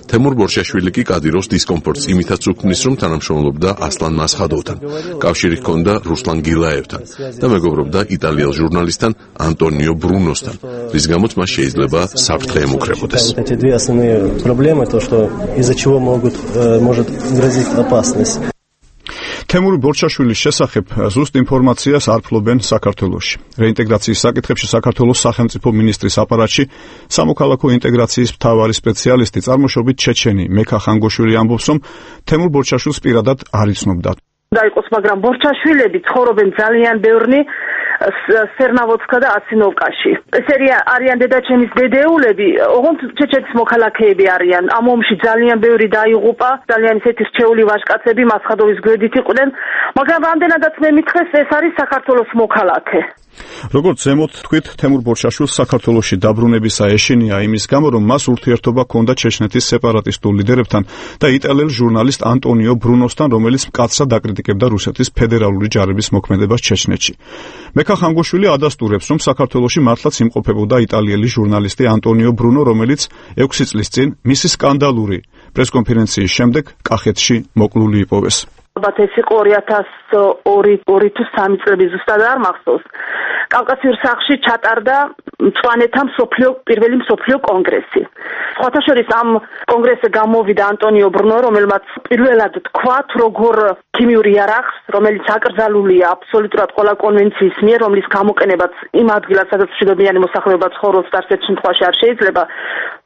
თემურ ბორჩაშვილი კი კადიროვს დისკომფორტს იმითაც უქმნის, რომ თანამშრომლობდა ასლან მასხადოვთან. კავშირი ჰქონდა რუსლან გილაევთან და მეგობრობდა იტალიელ ჟურნალისტ Антонио Бруносთან, რის გამოც მას შეიძლება საფრთხე ემუქრებოდეს. Эти две основные проблемы, то что из-за чего могут может грозить опасность. თემურ ბორჩაშვილის შესახებ ზუსტ ინფორმაციას არ ფლობენ საქართველოში. რეინტეგრაციის საკითხებში საქართველოს სახელმწიფო მინისტრის აპარატში სამოქალაქო ინტეგრაციის მთავარი სპეციალისტი წარმოშობით ჩეჩენი მეკა ხანგოშვილი ამბობს, რომ თემურ ბორჩაშვილს პირადად არ იცნობდა. დაიყოს, მაგრამ ბორჩაშვილები ცხოვრობენ ძალიან ბევრნი სერნავოცკა და ასინოვკაში. ეს არიან დედაჩემის დედეულები, ოღონდ ჩეჩეთის მოქალაქეები არიან. ამ ომში ძალიან ბევრი დაიღუპა, ძალიან ისეთი რჩეული ვაჟკაცები მასხადოვის გვერდით იყვნენ, მაგრამ რამდენადაც მე მითხრეს, ეს არის საქართველოს მოქალაქე. როგორც ზემოთ თქვით, თემურ ბორჩაშვილს საქართველოში დაბრუნებისა ეშინია იმის გამო, რომ მას ურთიერთობა ჰქონდა ჩეჩნეთის სეპარატისტულ ლიდერებთან და იტალიელ ჟურნალისტ ანტონიო ბრუნოსთან, რომელიც მკაცრად აკრიტიკებდა რუსეთის ფედერალური ჯარების მოქმედებას ჩეჩნეთში. მეკა ხანგოშვილი ადასტურებს, რომ საქართველოში მართლაც იმყოფებოდა იტალიელი ჟურნალისტი ანტონიო ბრუნო, რომელიც ექვსი წლის წინ მისი სკანდალური პრესკონფერენციის შემდეგ კახეთში მოკლული იპოვეს. ალბათ ეს იყო ორი ათას ორი თუ სამი წლები, ზუსტად არ მახსოვს. კავკასიურ სახლში ჩატარდა მწვანეთა მსოფლიო პირველი მსოფლიო კონგრესი. სხვათა შორის ამ კონგრესზე გამოვიდა ანტონიო ბრუნო, რომელმაც პირველად თქვა, თუ როგორ ქიმიური იარაღს, რომელიც აკრძალულია აბსოლუტურად ყველა კონვენციის მიერ, რომლის გამოყენებაც იმ ადგილას, სადაც მშვიდობიანი მოსახლეობა ცხოვრობს, არცერთ შემთხვევაში არ შეიძლება,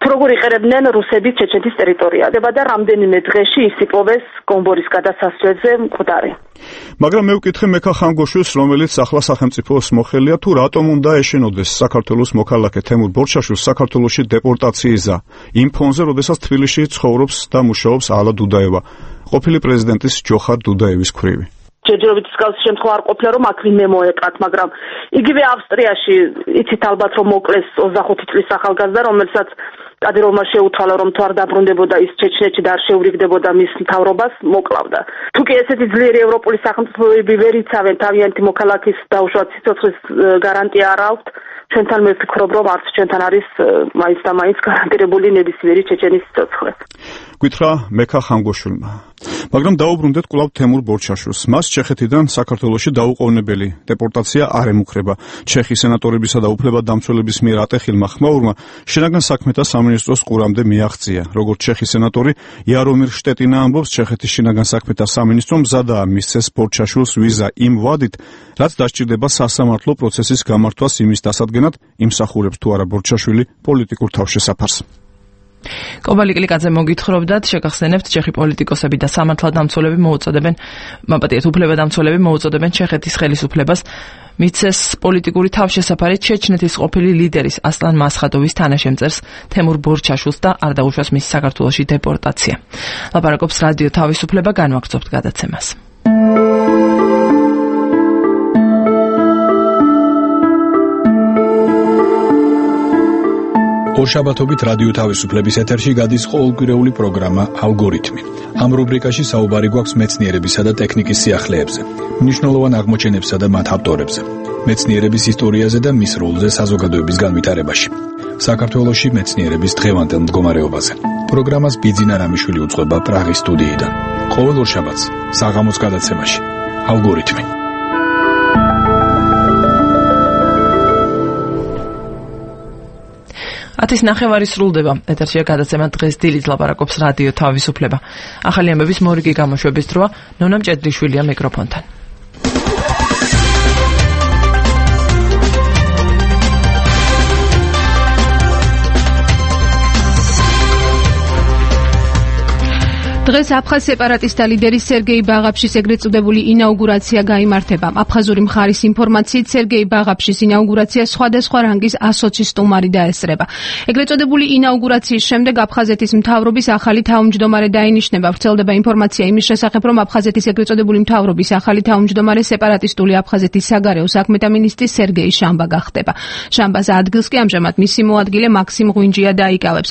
თუ როგორ იყერებდნენ რუსები ჩეჩეთის ტერიტორიაზე და რამდენიმე დღეში ის იპოვეს გომბორის გადასასვლელზე მკვდარი. მაგრამ მე ვკითხე მეკა ხანგოშვილს, რომელიც ახლა სახელმწიფოს მოხელია, თუ რატომ უნდა ეშინოდეს საქართველოს მოქალაქე თემურ ბორჩაშვილს საქართველოში დეპორტაციისა იმ ფონზე, როდესაც თბილისში ცხოვრობს და მუშაობს ალა დუდაევა, ყოფილი პრეზიდენტის ჯოხარ დუდაევის ქვრივი. ჯერჯერობით მსგავსი შემთხვევა არ ყოფილა, რომ აქ ვინმე მოეკრათ, მაგრამ იგივე ავსტრიაში იცით ალბათ, რომ მოკლეს ოცდახუთი წლის ახალგაზრდა, რომელსაც კადიროვმა შეუთვალა, რომ თუ არ დაბრუნდებოდა ის ჩეჩნეთში და არ შეურიგდებოდა მის მთავრობას, მოკლავდა. თუ კი ესეთი ძლიერი ევროპული სახელმწიფოები ვერ იცავენ თავიანთი მოქალაქის დაუშვათ სიცოცხლის გარანტია არ აქვთ, ჩვენთან მე ვფიქრობ, რომ არც ჩვენთან არის მაინც და მაინც გარანტირებული ნებისმიერი ჩეჩენის სიცოცხლე. გითხრა მეკა ხანგოშვილმა. მაგრამ დაუბრუნდეთ კვლავ თემურ ბორჩაშვილს. მას ჩეხეთიდან საქართველოში დაუყოვნებელი დეპორტაცია არ ემუქრება. ჩეხის სენატორებისა და უფლებადამცველების მიერ ატეხილმა ხმაურმა შინაგან საქმეთა სამინისტროს ყურამდე მიაღწია. როგორც ჩეხის სენატორი იარომირ შტეტინა ამბობს, ჩეხეთის შინაგან საქმეთა სამინისტრო მზადაა მისცეს ბორჩაშვილს ვიზა იმ ვადით, რაც დასჭირდება სასამართლო პროცესის გამართვას იმის დასადგენად, იმსახურებს თუ არა ბორჩაშვილი პოლიტიკურ თავშესაფარს. კობალი კლიკაძე მოგითხრობდათ, შეგახსენებთ, ჩეხი პოლიტიკოსები და სამართალდამცველები მოუწოდებენ, მაპატიეთ უფლებადამცველები მოუწოდებენ ჩეხეთის ხელისუფლებას მიცეს პოლიტიკური თავშესაფარი ჩეჩნეთის ყოფილი ლიდერის ასლან მასხადოვის თანაშემწერს თემურ ბორჩაშვილს და არ დაუშვას მის საქართველოში დეპორტაცია. ლაპარაკობს რადიო თავისუფლება, განვაგრძობთ გადაცემას. ორშაბათობით რადიო თავისუფლების ეთერში გადის ყოველკვირეული პროგრამა ალგორითმი. ამ რუბრიკაში საუბარი გვაქვს მეცნიერებისა და ტექნიკის სიახლეებზე, მნიშვნელოვან აღმოჩენებსა და მათ ავტორებზე, მეცნიერების ისტორიაზე და მის როლზე საზოგადოების განვითარებაში. საქართველოში მეცნიერების დღევანდელ მდგომარეობაზე. პროგრამას ბიძინა რამიშვილი უძღვება პრაღის სტუდიიდან. ყოველ ორშაბათს საღამოს გადაცემაში ალგორითმი. ათის ნახევარი სრულდება. ეთერშია გადაცემა დღეს დილით ლაპარაკობს რადიო თავისუფლება. ახალი ამბების მორიგი გამოშვების დროა. ნონა მჭედლიშვილია მიკროფონთან. დღეს აფხაზ სეპარატისტთა ლიდერის სერგეი ბაღაფშის ეგრეთ წოდებული ინაუგურაცია გაიმართება. აფხაზური მხარის ინფორმაციით სერგეი ბაღაფშის ინაუგურაცია სხვადასხვა რანგის ასოცი სტუმარი დაესწრება. ეგრეთ წოდებული ინაუგურაციის შემდეგ აფხაზეთის მთავრობის ახალი თავმჯდომარე დაინიშნება. ვრცელდება ინფორმაცია იმის შესახებ, რომ აფხაზეთის ეგრეთ წოდებული მთავრობის ახალი თავმჯდომარე სეპარატისტული აფხაზეთის საგარეო საქმეთა მინისტრი სერგეი შამბა გახდება. შამბას ადგილს კი ამჟამად მისი მოადგილე მაქსიმ ღვინჯია დაიკავებს.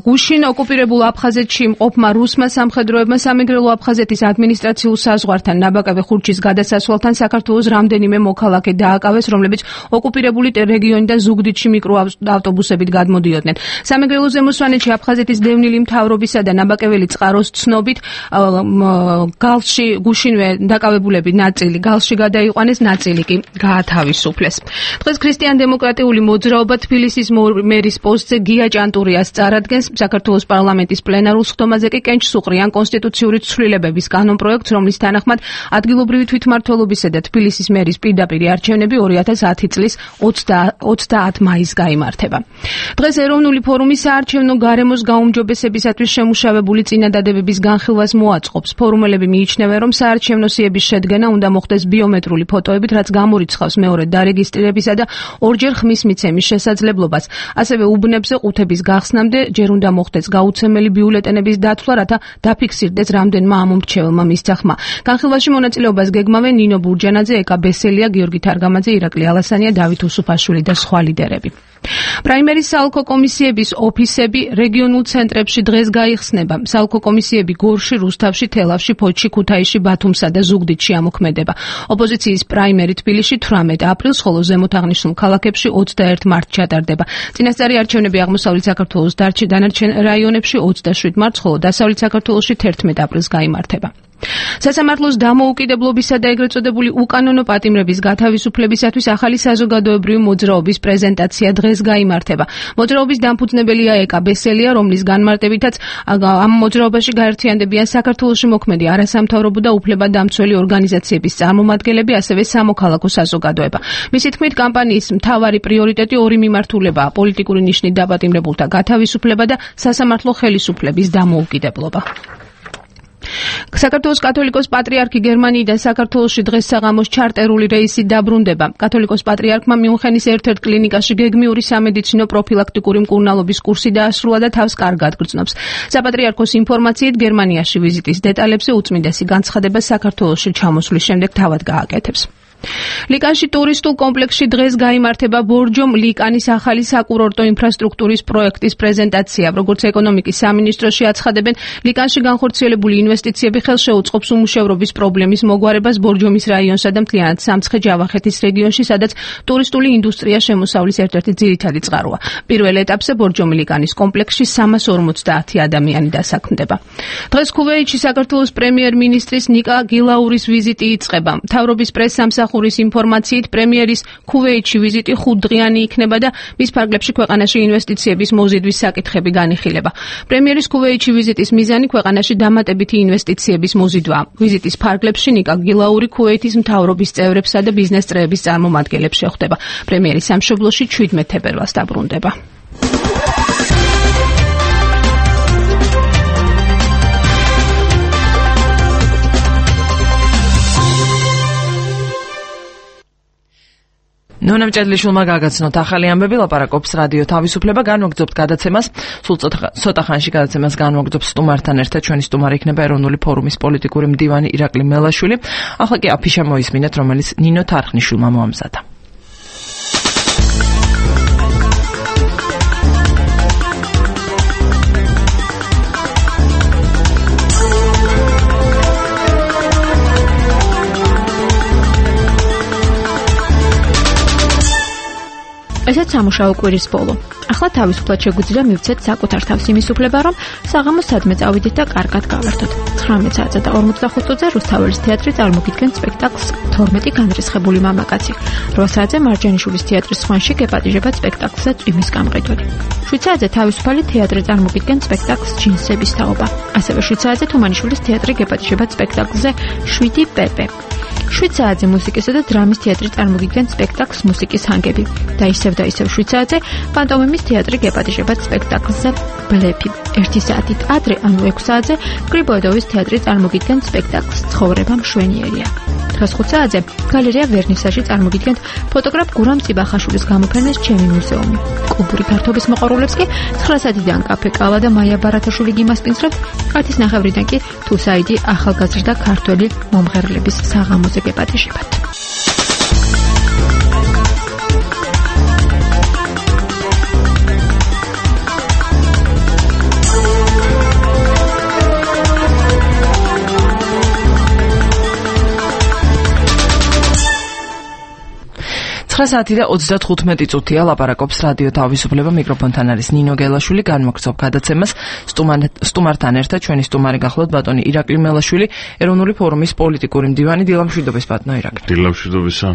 გუშინ ოკუპირებულ აფხაზეთში მყოფმა რუსმა სამხედროებმა სამეგრელო აფხაზეთის ადმინისტრაციულ საზღვართან ნაბაკავე ხურჩის გადასასვლელთან საქართველოს რამდენიმე მოქალაქე დააკავეს, რომლებიც ოკუპირებული რეგიონიდან ზუგდიდში მიკროავტობუსებით გადმოდიოდნენ. სამეგრელო ზემოსვანეთში აფხაზეთის დევნილი მთავრობისა და ნაბაკეველი წყაროს ცნობით გალში გუშინვე დაკავებულები ნაწილი გალში გადაიყვანეს, ნაწილი კი გაათავისუფლეს. დღეს ქრისტიან-დემოკრატიული მოძრაობა თბილისის მერის პოსტზე გია ჭანტურიას წარადგენს. საქართველოს პარლამენტის პლენარულ სხდომაზე კი კენჭ სუყრიან კონსტიტუციური ცვლილებების კანონპროექტს, რომლის თანახმად ადგილობრივი თვითმმართველობისა და თბილისის მერის პირდაპირი არჩევნები ორი ათას ათი წლის ოცდაათ მაისს გაიმართება. დღეს ეროვნული ფორუმი საარჩევნო გარემოს გაუმჯობესებისათვის შემუშავებული წინადადებების განხილვას მოაწყობს. ფორუმელები მიიჩნევენ, რომ საარჩევნო სიების შედგენა უნდა მოხდეს ბიომეტრიული ფოტოებით, რაც გამორიცხავს მეორე დარეგისტრირებისა და ორჯერ ხმის მიცემის შესაძლებლობას. ასევე უბნებზე ყუთების გახსნამდე ჯერ უნდა მოხდეს გაუცემელი ბიულეტენების დათვლა, რათა დაფიქსირდეს რამდენმა ამომრჩეველმა მისცა ხმა. განხილვაში მონაწილეობას გეგმავენ ნინო ბურჯანაძე, ეკა ბესელია, გიორგი თარგამაძე, ირაკლი ალასანია, დავით უსუფაშვილი და სხვა ლიდერები. პრაიმერის საოლქო კომისიების ოფისები რეგიონულ ცენტრებში დღეს გაიხსნება. საოლქო კომისიები გორში, რუსთავში, თელავში, ფოთში, ქუთაისში, ბათუმსა და ზუგდიდში ამოქმედება. ოპოზიციის პრაიმერი თბილისში თვრამეტ აპრილს, ხოლო ზემოთაღნიშნულ ქალაქებში ოცდაერთ მარტს ჩატარდება. წინასწარი არჩევნები აღმოსავლეთ საქართველოს დანარჩენ რაიონებში ოცდაშვიდ მარტს, ხოლო დასავლეთ საქართველოში თერთმეტ აპრილს გაიმართება. სასამართლოს დამოუკიდებლობისა და ეგრეთ წოდებული უკანონო პატიმრების გათავისუფლებისათვის ახალი საზოგადოებრივი მოძრაობის პრეზენტაცია დღეს გაიმართება. მოძრაობის დამფუძნებელია ეკა ბესელია, რომლის განმარტებითაც ამ მოძრაობაში გაერთიანდებიან საქართველოში მოქმედი არასამთავრობო და უფლებადამცველი ორგანიზაციების წარმომადგენლები, ასევე სამოქალაქო საზოგადოება. მისი თქმით, კამპანიის მთავარი პრიორიტეტი ორი მიმართულებაა: პოლიტიკური ნიშნით დაპატიმრებულთა გათავისუფლება და სასამართლო ხელისუფლების დამოუკიდებლობა. საქართველოს კათოლიკოს პატრიარქი გერმანიიდან საქართველოში დღეს საღამოს ჩარტერული რეისი დაბრუნდება. კათოლიკოს პატრიარქმა მიუნხენის ერთ-ერთ კლინიკაში გეგმიური სამედიცინო პროფილაქტიკური მკურნალობის კურსი დაასრულა და თავს კარგად გრძნობს. საპატრიარქოს ინფორმაციით გერმანიაში ვიზიტის დეტალებზე უწმინდესი განცხადება საქართველოში ჩამოსვლის შემდეგ თავად გააკეთებს. ლიკანში ტურისტულ კომპლექსში დღეს გაიმართება ბორჯომ ლიკანის ახალი საკურორტო ინფრასტრუქტურის პროექტის პრეზენტაცია. როგორც ეკონომიკის სამინისტროში აცხადებენ, ლიკანში განხორციელებული ინვესტიციები ხელშეუწყობს უმუშევრობის პრობლემის მოგვარებას ბორჯომის რაიონსა და მთლიანად სამცხე-ჯავახეთის რეგიონში, სადაც ტურისტული ინდუსტრია შემოსავლის ერთ-ერთი ძირითადი წყაროა. პირველ ეტაპზე ბორჯომი ლიკანის კომპლექსში სამას ორმოცდაათი ადამიანი დასაქმდება. დღეს ქუვეითში საქართველოს პრემიერ-მინისტრის ნიკა გილაურის ვიზიტი იწყება. მთავრობის პრესსამსახურის ინფორმაციით პრემიერის ქუვეითში ვიზიტი ხუთდღიანი იქნება და მის ფარგლებში ქვეყანაში ინვესტიციების მოზიდვის საკითხები განიხილება. პრემიერის ქუვეითში ვიზიტის მიზანი ქვეყანაში დამატებითი ინვესტიციების მოზიდვაა. ვიზიტის ფარგლებში ნიკა გილაური ქუვეითის მთავრობის წევრებსა და ბიზნეს წრეების წარმომადგენლებს შეხვდება. პრემიერი სამშობლოში ჩვიდმეტ თებერვალს დაბრუნდება. ნონა მჭედლიშვილმა გაგაცნოთ ახალი ამბები, ლაპარაკობს რადიო თავისუფლება. განვაგრძობთ გადაცემას, სულ ცოტა ხანში გადაცემას განვაგრძობს სტუმართან ერთად. ჩვენი სტუმარი იქნება ეროვნული ფორუმის პოლიტიკური მდივანი ირაკლი მელაშვილი. ახლა კი აფიშა მოისმინეთ, რომელიც ნინო თარხნიშვილმა მოამზადა. ესეც სამუშაო კვირის ბოლო. ახლა თავისუფლად შეგვიძლია მივცეთ საკუთარ თავს იმის უფლება, რომ საღამოს სადმე წავიდეთ და კარგად გავერთოთ. ცხრამეტ საათსა და ორმოცდახუთ წუთზე რუსთაველის თეატრი წარმოგიდგენს სპექტაკლს თორმეტი განრისხებული მამაკაცი. რვა საათზე მარჯანიშვილის თეატრის სხვანში გეპატიჟებათ სპექტაკლსა წვიმის გამყიდველი. შვიდ საათზე თავისუფალი თეატრი წარმოგიდგენს სპექტაკლს ჯინსების თაობა. ასევე შვიდ საათზე თუმანიშვილის თეატრი გეპატიჟებათ სპექტაკლზე შვიდი პეპე. შვიდ საათზე მუსიკისა და დრამის თეატრი წარმოგიდგენს სპექტაკლს მუსიკის ჰანგები და ისევ და ისევ შვიდ საათზე პანტომიმის თეატრი გეპატიჟებათ სპექტაკლზე ბლეფი. ერთი საათით ადრე, ანუ ექვს საათზე გრიბოედოვის თეატრი წარმოგიდგენს სპექტაკლს ცხოვრება მშვენიერია. დღეს ხუთ საათზე გალერეა ვერნისაჟი წარმოგიდგენთ ფოტოგრაფ გურამ ციბახაშვილის გამოფენას ჩემი მუზეუმი. კლუბური გართობის მოყვარულებს კი ცხრა საათიდან კაფე კალა და მაია ბარათაშვილი გიმასპინძლებთ. ათის ნახევრიდან კი თუსაიდი ახალგაზრდა ქართველი მომღერლების საღამოზე გეპატიჟებათ. ცხრა საათი და ოცდათხუთმეტი წუთია ლაპარაკობს რადიო თავისუფლება, მიკროფონთან არის ნინო გელაშვილი, განმოგცემ გადაცემას სტუმართან ერთად ჩვენი სტუმარი გახლავთ ბატონი ირაკლი მელაშვილი, ეროვნული ფორუმის პოლიტიკური მდივანი. დილამშვიდობის ბატონო ირაკლი. დილამშვიდობისა.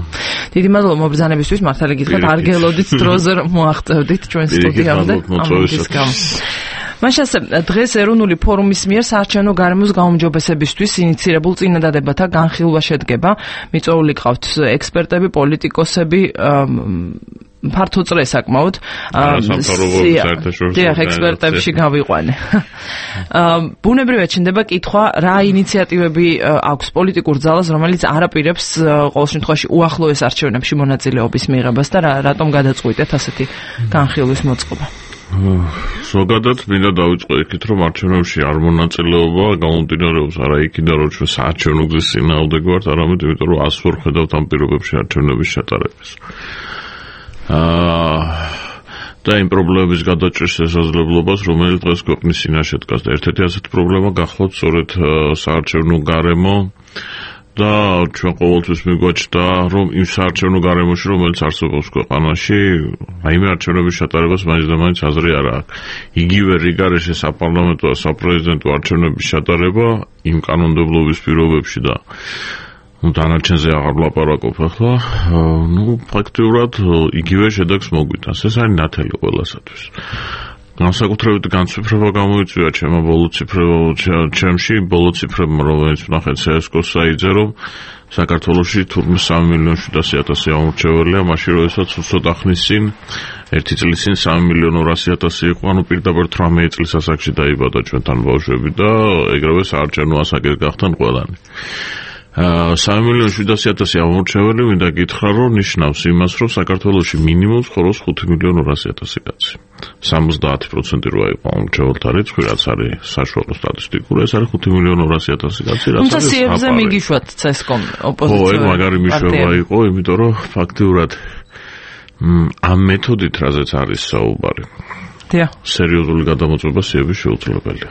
დიდი მადლობა მობრძანებისთვის, მართალი გითხრათ არ გელოდით დროზე მოახტევდით ჩვენ სტუდიამდე. ამის გამო მაშ ასე დღეს ეროვნული ფორუმის მიერ საარჩევნო გარემოს გაუმჯობესებისთვის ინიცირებულ წინადადებათა განხილვა შედგება. მიწვეული ყავთ ექსპერტები, პოლიტიკოსები, ფართო წრე საკმაოდ. დიახ, ექსპერტებში გავიყვანე. ბუნებრივია ჩნდება კითხვა, რა ინიციატივები აქვს პოლიტიკურ ძალას, რომელიც არ აპირებს ყოველ შემთხვევაში უახლოეს არჩევნებში მონაწილეობის მიღებას და რატომ გადაწყვიტეთ ასეთი განხილვის მოწყობა. ზოგადად მინდა დავიწყო იქით, რომ არჩევნებში არ მონაწილეობა გამომდინარეობს არა იქიდან, რომ ჩვენ საარჩევნო გზის წინააღმდეგ ვართ, არამედ იმიტომ, რომ ასე ვერ ხედავთ ამ პირობებში არჩევნების ჩატარებას. აა და იმ პრობლემების გადაჭრის შესაძლებლობას, რომელიც დღეს ქვეყნის წინაშე დგას და ერთ-ერთი ასეთი პრობლემა გახლავთ სწორედ საარჩევნო გარემო და ჩვენ ყოველთვის მიგვაჩნდა, რომ იმ საარჩევნო გარემოში, რომელიც არსებობს ქვეყანაში, აიმე არჩევნების ჩატარებას მაინც და მაინც აზრი არ აქვს. იგივე რიგარეშე საპარლამენტო და საპრეზიდენტო არჩევნების ჩატარება იმ კანონმდებლობის პირობებში და ну დანარჩენზე აღარ ვლაპარაკობ ახლა, ну ფაქტიურად იგივე შედეგს მოგვიტანს. ეს არის ნათელი ყველასათვის. განსაკუთრებით განცვიფრება გამოიწვია ჩემო ბოლო ციფრებო ჩემში ბოლო ციფრებმა, რომელიც ვნახეთ სეესკოს საიტზე, რომ საქართველოში თურმე სამი მილიონი შვიდასი ათასი ამორჩეველია, მაშინ როდესაც ცოტა ხნის წინ ერთი წლის წინ სამი მილიონი ორასი ათასი იყო, ანუ პირდაპირ თვრამეტი წლის ასაკში დაიბადა ჩვენთან ბავშვები და ეგრევე საარჩევნო ასაკი გახდნენ ყველანი. სამი მილიონი შვიდასი ათასი ამორჩეველი მინდა გითხრა, რომ ნიშნავს იმას, რომ საქართველოში მინიმუმ ცხოვრობს ხუთი მილიონი ორასი ათასი კაცი. სამოცდაათი პროცენტი როა იყო ამორჩეველთა რიცხვი, რაც არის საშუალო სტატისტიკური, ეს არის ხუთი მილიონი ორასი ათასი კაცი, რაც არის. თუმცა სიებზე მიგიშვათ ცესკომ ოპოზიცია. ო, ეგ მაგარი მიშოვა იყო, იმიტომ რომ ფაქტიურად ამ მეთოდით რაზეც არის საუბარი. სერიოზული გადამოწმება სიების შეუძლებელია.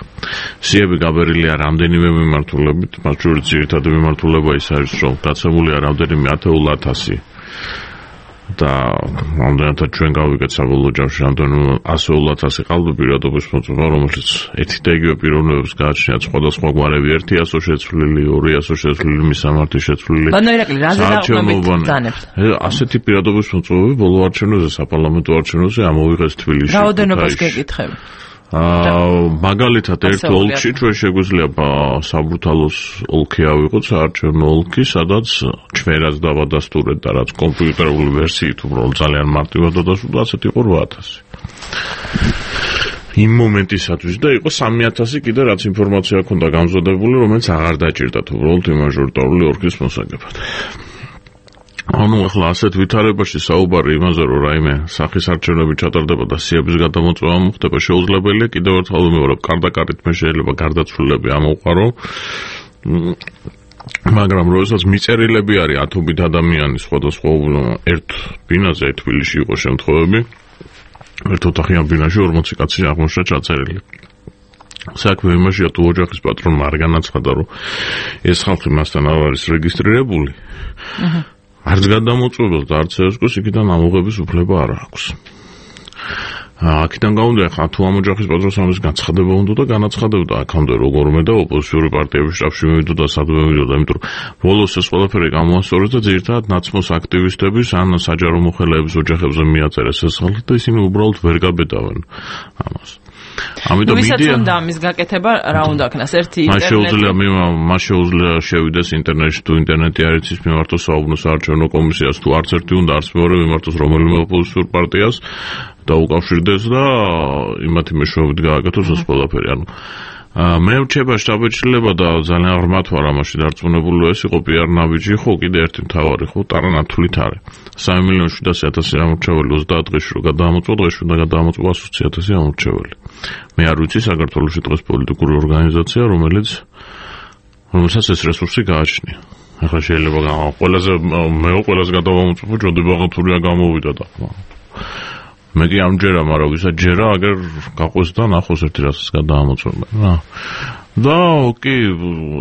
სიები გაბერილია რამდენიმე მიმართულებით, მათ შორის ძირითადი მიმართულება ის არის, რომ გაცემულია რამდენიმე ათეულ ათასი და რამდენადაც ჩვენ გავიგეთ საბოლოო ჯამში რამდენიმე ასეულ ათასი ყალბი პირადობის მოწმობა, რომელიც ერთი და იგივე პიროვნებებს გააჩნიათ სხვადასხვა გვარები, ერთი ასო შეცვლილი, ორი ასო შეცვლილი, მისამართი შეცვლილი. ბანო ირაკლი, რაზე დაყრდნობით ბრძანებთ? ასეთი პირადობის მოწმობები ბოლო არჩევნებზე, საპარლამენტო არჩევნებზე ამოვიღეს თბილისში. რაოდენობას გეკითხები? აა მაგალითად ერთ ოლქში ჩვენ შეგვიძლია საბურთალოს ოლქი ავიღოთ, საარჩევნო ოლქი, სადაც ჩვენაც დავადასტურეთ და რაც კომპიუტერული ვერსიით უბრალოდ ძალიან მარტივად დადასტურდა, ასეთი იყო რვა ათასი. იმ მომენტისათვის და იყო სამი ათასი კიდე რაც ინფორმაცია ჰქონდა გამზადებული, რომელიც აღარ დაჭირდათ უბრალოდ იმ მაჟორიტარული ოლქის მოსაგებად. ანუ ახლა ასეთ ვითარებაში საუბარი იმაზე, რომ რაიმე სახის არჩევნები ჩატარდება და სიების გადამოწმება მოხდება, შეუძლებელია კიდევ ერთხელ ვიმეორებ, კარდაკარით მე შეიძლება გარდაცვლილები ამოვყარო, მაგრამ როდესაც მიწერილები არის ათობით ადამიანი სხვადასხვა ერთ ბინაზე თბილისში იყო შემთხვევები, ერთ ოთახიან ბინაში ორმოცი კაცი აღმოჩნდა ჩაწერილი. საქმე იმაშია, თუ ოჯახის პატრონმა არ განაცხადა, რომ ეს ხალხი მასთან არ არის რეგისტრირებული, არც გადამოწვევებს და არც ესკოს იქიდან ამოღების უფლება არ აქვს. აქედან გამომდინარე, ხა თუ ამ ოჯახის პატრონს ამის განცხადება უნდა და განაცხადებდა აქამდე როგორმე და ოპოზიციური პარტიების შტაბში მივიდოდა და სადმე მივიდოდა, იმიტომ რომ ბოლოს ეს ყველაფერი გამოასწორეს და ძირითადად ნაცმოს აქტივისტების ან საჯარო მოხელეების ოჯახებზე მიაწერეს ეს ხალხი და ისინი უბრალოდ ვერ გაბედავენ ამას. ამიტომ ვისაც უნდა ამის გაკეთება რა უნდა ქნას ერთი ინტერნეტი. მას შეუძლია მას შეუძლია შევიდეს ინტერნეტში თუ ინტერნეტი არ იცის მიმართოს საუბნოს საარჩევნო კომისიას თუ არც ერთი უნდა არც მეორე მიმართოს რომელიმე ოპოზიციურ პარტიას და უკავშირდეს და იმათი მეშვეობით გააკეთოს ეს ყველაფერი. ანუ მე ვჩება შტაბ-ეჭრილება და ძალიან ღრმად ვარ ამაში დარწმუნებული ეს იყო პიარ ნაბიჯი ხო კიდე ერთი მთავარი ხო ტარანათვლით არის სამი მილიონი შვიდასი ათასი ამორჩეველი ოცდაათ დღეში რო გადაამოწვა დღეში უნდა გადაამოწვა ოცი ათასი ამორჩეველი. მე არ ვიცი საქართველოში დღეს პოლიტიკური ორგანიზაცია რომელიც რომელსაც ეს რესურსი გააჩნია. ახლა შეიძლება ყველაზე მე ყველაზე გადავამოწმო ჯოდი ბაღათურია გამოვიდა და მე კი ამჯერა, მაგრამ ვისაც ჯერა, აგერ გაყვეს და ნახოს ერთი რასაც გადაამოწმება რა. და ოკი,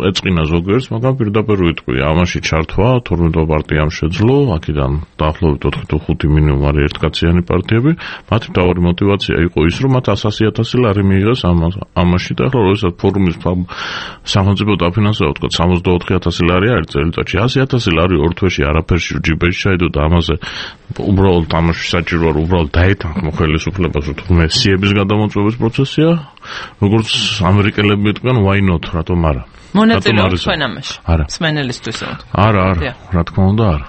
ეწყინა ზოგიერთს, მაგრამ პირდაპირ ვიტყვი, ამაში ჩართვა თორმეტ პარტიამ შეძლო, აქედან დაახლოებით ოთხი თუ ხუთი მინიმუმ არის ერთკაციანი პარტიები, მათი მთავარი мотиваცია იყო ის, რომ მათ ასი ათასი ლარი მიიღეს ამაში და ახლა როდესაც ფორუმის სახელმწიფო დაფინანსება თქვა სამოცდაოთხი ათასი ლარი არის წელიწადში, ასი ათასი ლარი ორ თვეში არაფერში ჯიბეში ჩაიდო და ამაზე უბრალოდ ამაში საჭიროა რომ უბრალოდ დაეთანხმო ხელისუფლებას, რომ თურმე სიების გადამოწვევის პროცესია, როგორც ამერიკელები მეტყვიან why not, რატომ არა? მონაწილეობთ თქვენ ამაში? სმენელისთვის. არა, არა, რა თქმა უნდა არა.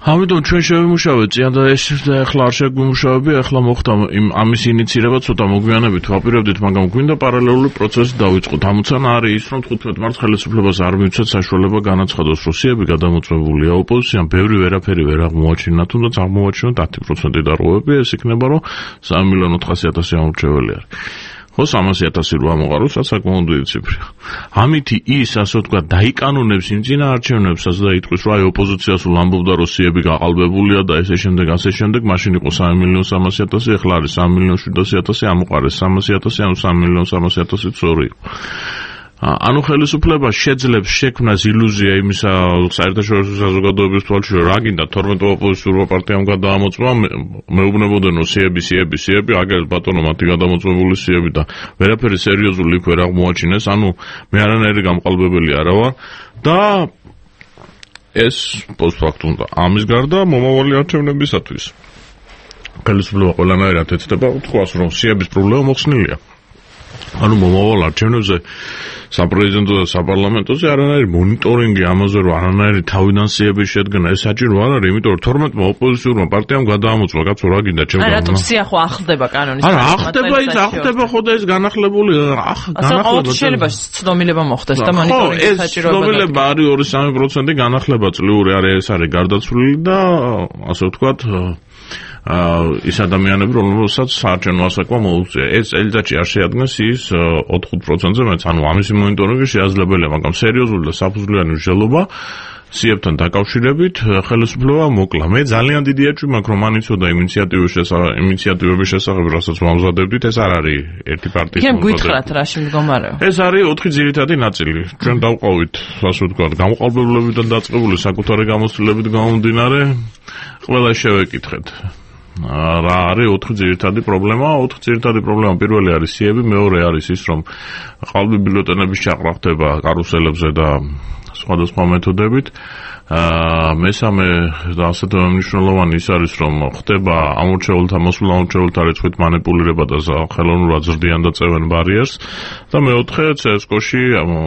ამიტომ ჩვენ შევიმუშავეთ წიან და ეს ახლა არ შეგვიმუშავები, ახლა მოხდა ამის ინიცირება ცოტა მოგვიანებით ვაპირებდით, მაგრამ გვინდა პარალელური პროცესი დავიწყოთ. ამოცანა არის ის, რომ თხუთმეტ მარტს ხელისუფლებას არ მივცეთ საშუალება განაცხადოს, რომ სიები გადამოწვეულია ოპოზიციამ, ბევრი ვერაფერი ვერ აღმოაჩინა, თუნდაც აღმოაჩინოთ ათი პროცენტი დარღვევები, ეს იქნება, რომ სამი მილიონი ოთხასი ათასი ამორჩეველი არის. ხო სამასი ათასი რო ამოყაროს, რაც საკმაოდ დიდი ციფრია. ამითი ის, ასე ვთქვათ, დაიკანონებს იმ წინაარჩევნებსაც და იტყვის, რომ აი ოპოზიცია სულ ამბობდა, რომ სიები გაყალბებულია და ესე შემდეგ, ასე შემდეგ, მაშინ იყო სამი მილიონი სამასი ათასი, ახლა არის სამი მილიონი შვიდასი ათასი, ამოყარეს სამასი ათასი, ანუ სამი მილიონი სამასი ათასი სწორი იყო. ანუ ხელისუფლება შეძლებს შექმნას ილუზია იმისა საერთაშორისო საზოგადოების თვალში, რომ რა გინდა თორმეტ ოპოზიციურ პარტიამ გადაამოწვა, მეუბნებოდნენ, რომ სიები, სიები, სიები, აგერ ბატონო მათი გადამოწვეული სიები და ვერაფერი სერიოზული იქ ვერ აღმოაჩინეს, ანუ მე არანაირი გამყალბებელი არა ვარ და ეს პოსტფაქტუმ და ამის გარდა მომავალი არჩევნებისათვის ხელისუფლება ყველანაირად ეცდება თქვას, რომ სიების პრობლემა მოხსნილია. ანუ მომავალ არჩევნებზე საპრეზიდენტო და საპარლამენტოზე არანაირი მონიტორინგი ამაზე რომ არანაირი თავიდან სიების შედგენა ეს საჭირო არ არის, იმიტომ რომ თორმეტმა ოპოზიციურმა პარტიამ გადაამოწვა, კაცო რა გინდა ჩემ გან. რატომ სია ხო ახლდება კანონის? არა, ახლდება ის, ახლდება ხო და ეს განახლებული, განახლება. შეიძლება ცდომილება მოხდეს და მონიტორინგი საჭიროა. ცდომილება არის ორი სამი პროცენტი, განახლება წლიური არის, ეს არის გარდაცვლილი და ასე ვთქვათ ის ადამიანები, რომელსაც საარჩევნო ასაკვა მოუწია. ეს წელიწადში არ შეადგენს ის ოთხ პროცენტზე მეც, ანუ ამისი მონიტორინგი შეაძლებელია, მაგრამ სერიოზული და საფუძვლიანი მსჯელობა სიებთან დაკავშირებით ხელისუფლება მოკლა. მე ძალიან დიდი ეჭვი მაქვს, რომ მან იცოდა ინიციატივების შესახებ, ინიციატივების შესახებ, რასაც მომზადებდით, ეს არ არის ერთი პარტიის მომზადება. გითხრათ რაში მდგომარეობა? ეს არის ოთხი ძირითადი ნაწილი. ჩვენ დავყავით, ასე ვთქვათ, გამყალბებლებიდან დაწყებული საკუთარი გამოცდილებით გამომდინარე, ყველა შევეკითხეთ. რა არის ოთხი ძირითადი პრობლემა? ოთხი ძირითადი პრობლემა პირველი არის სიები, მეორე არის ის, რომ ყალბი ბიულეტენების ჩაყრა ხდება კარუსელებზე და სხვადასხვა მეთოდებით. მესამე და ასეთ მნიშვნელოვანი ის არის, რომ ხდება ამორჩეულთა მოსულ ამორჩეულთა რიცხვით მანიპულირება და ხელოვნურად ზრდიან და წევენ ბარიერს და მეოთხე ცესკოში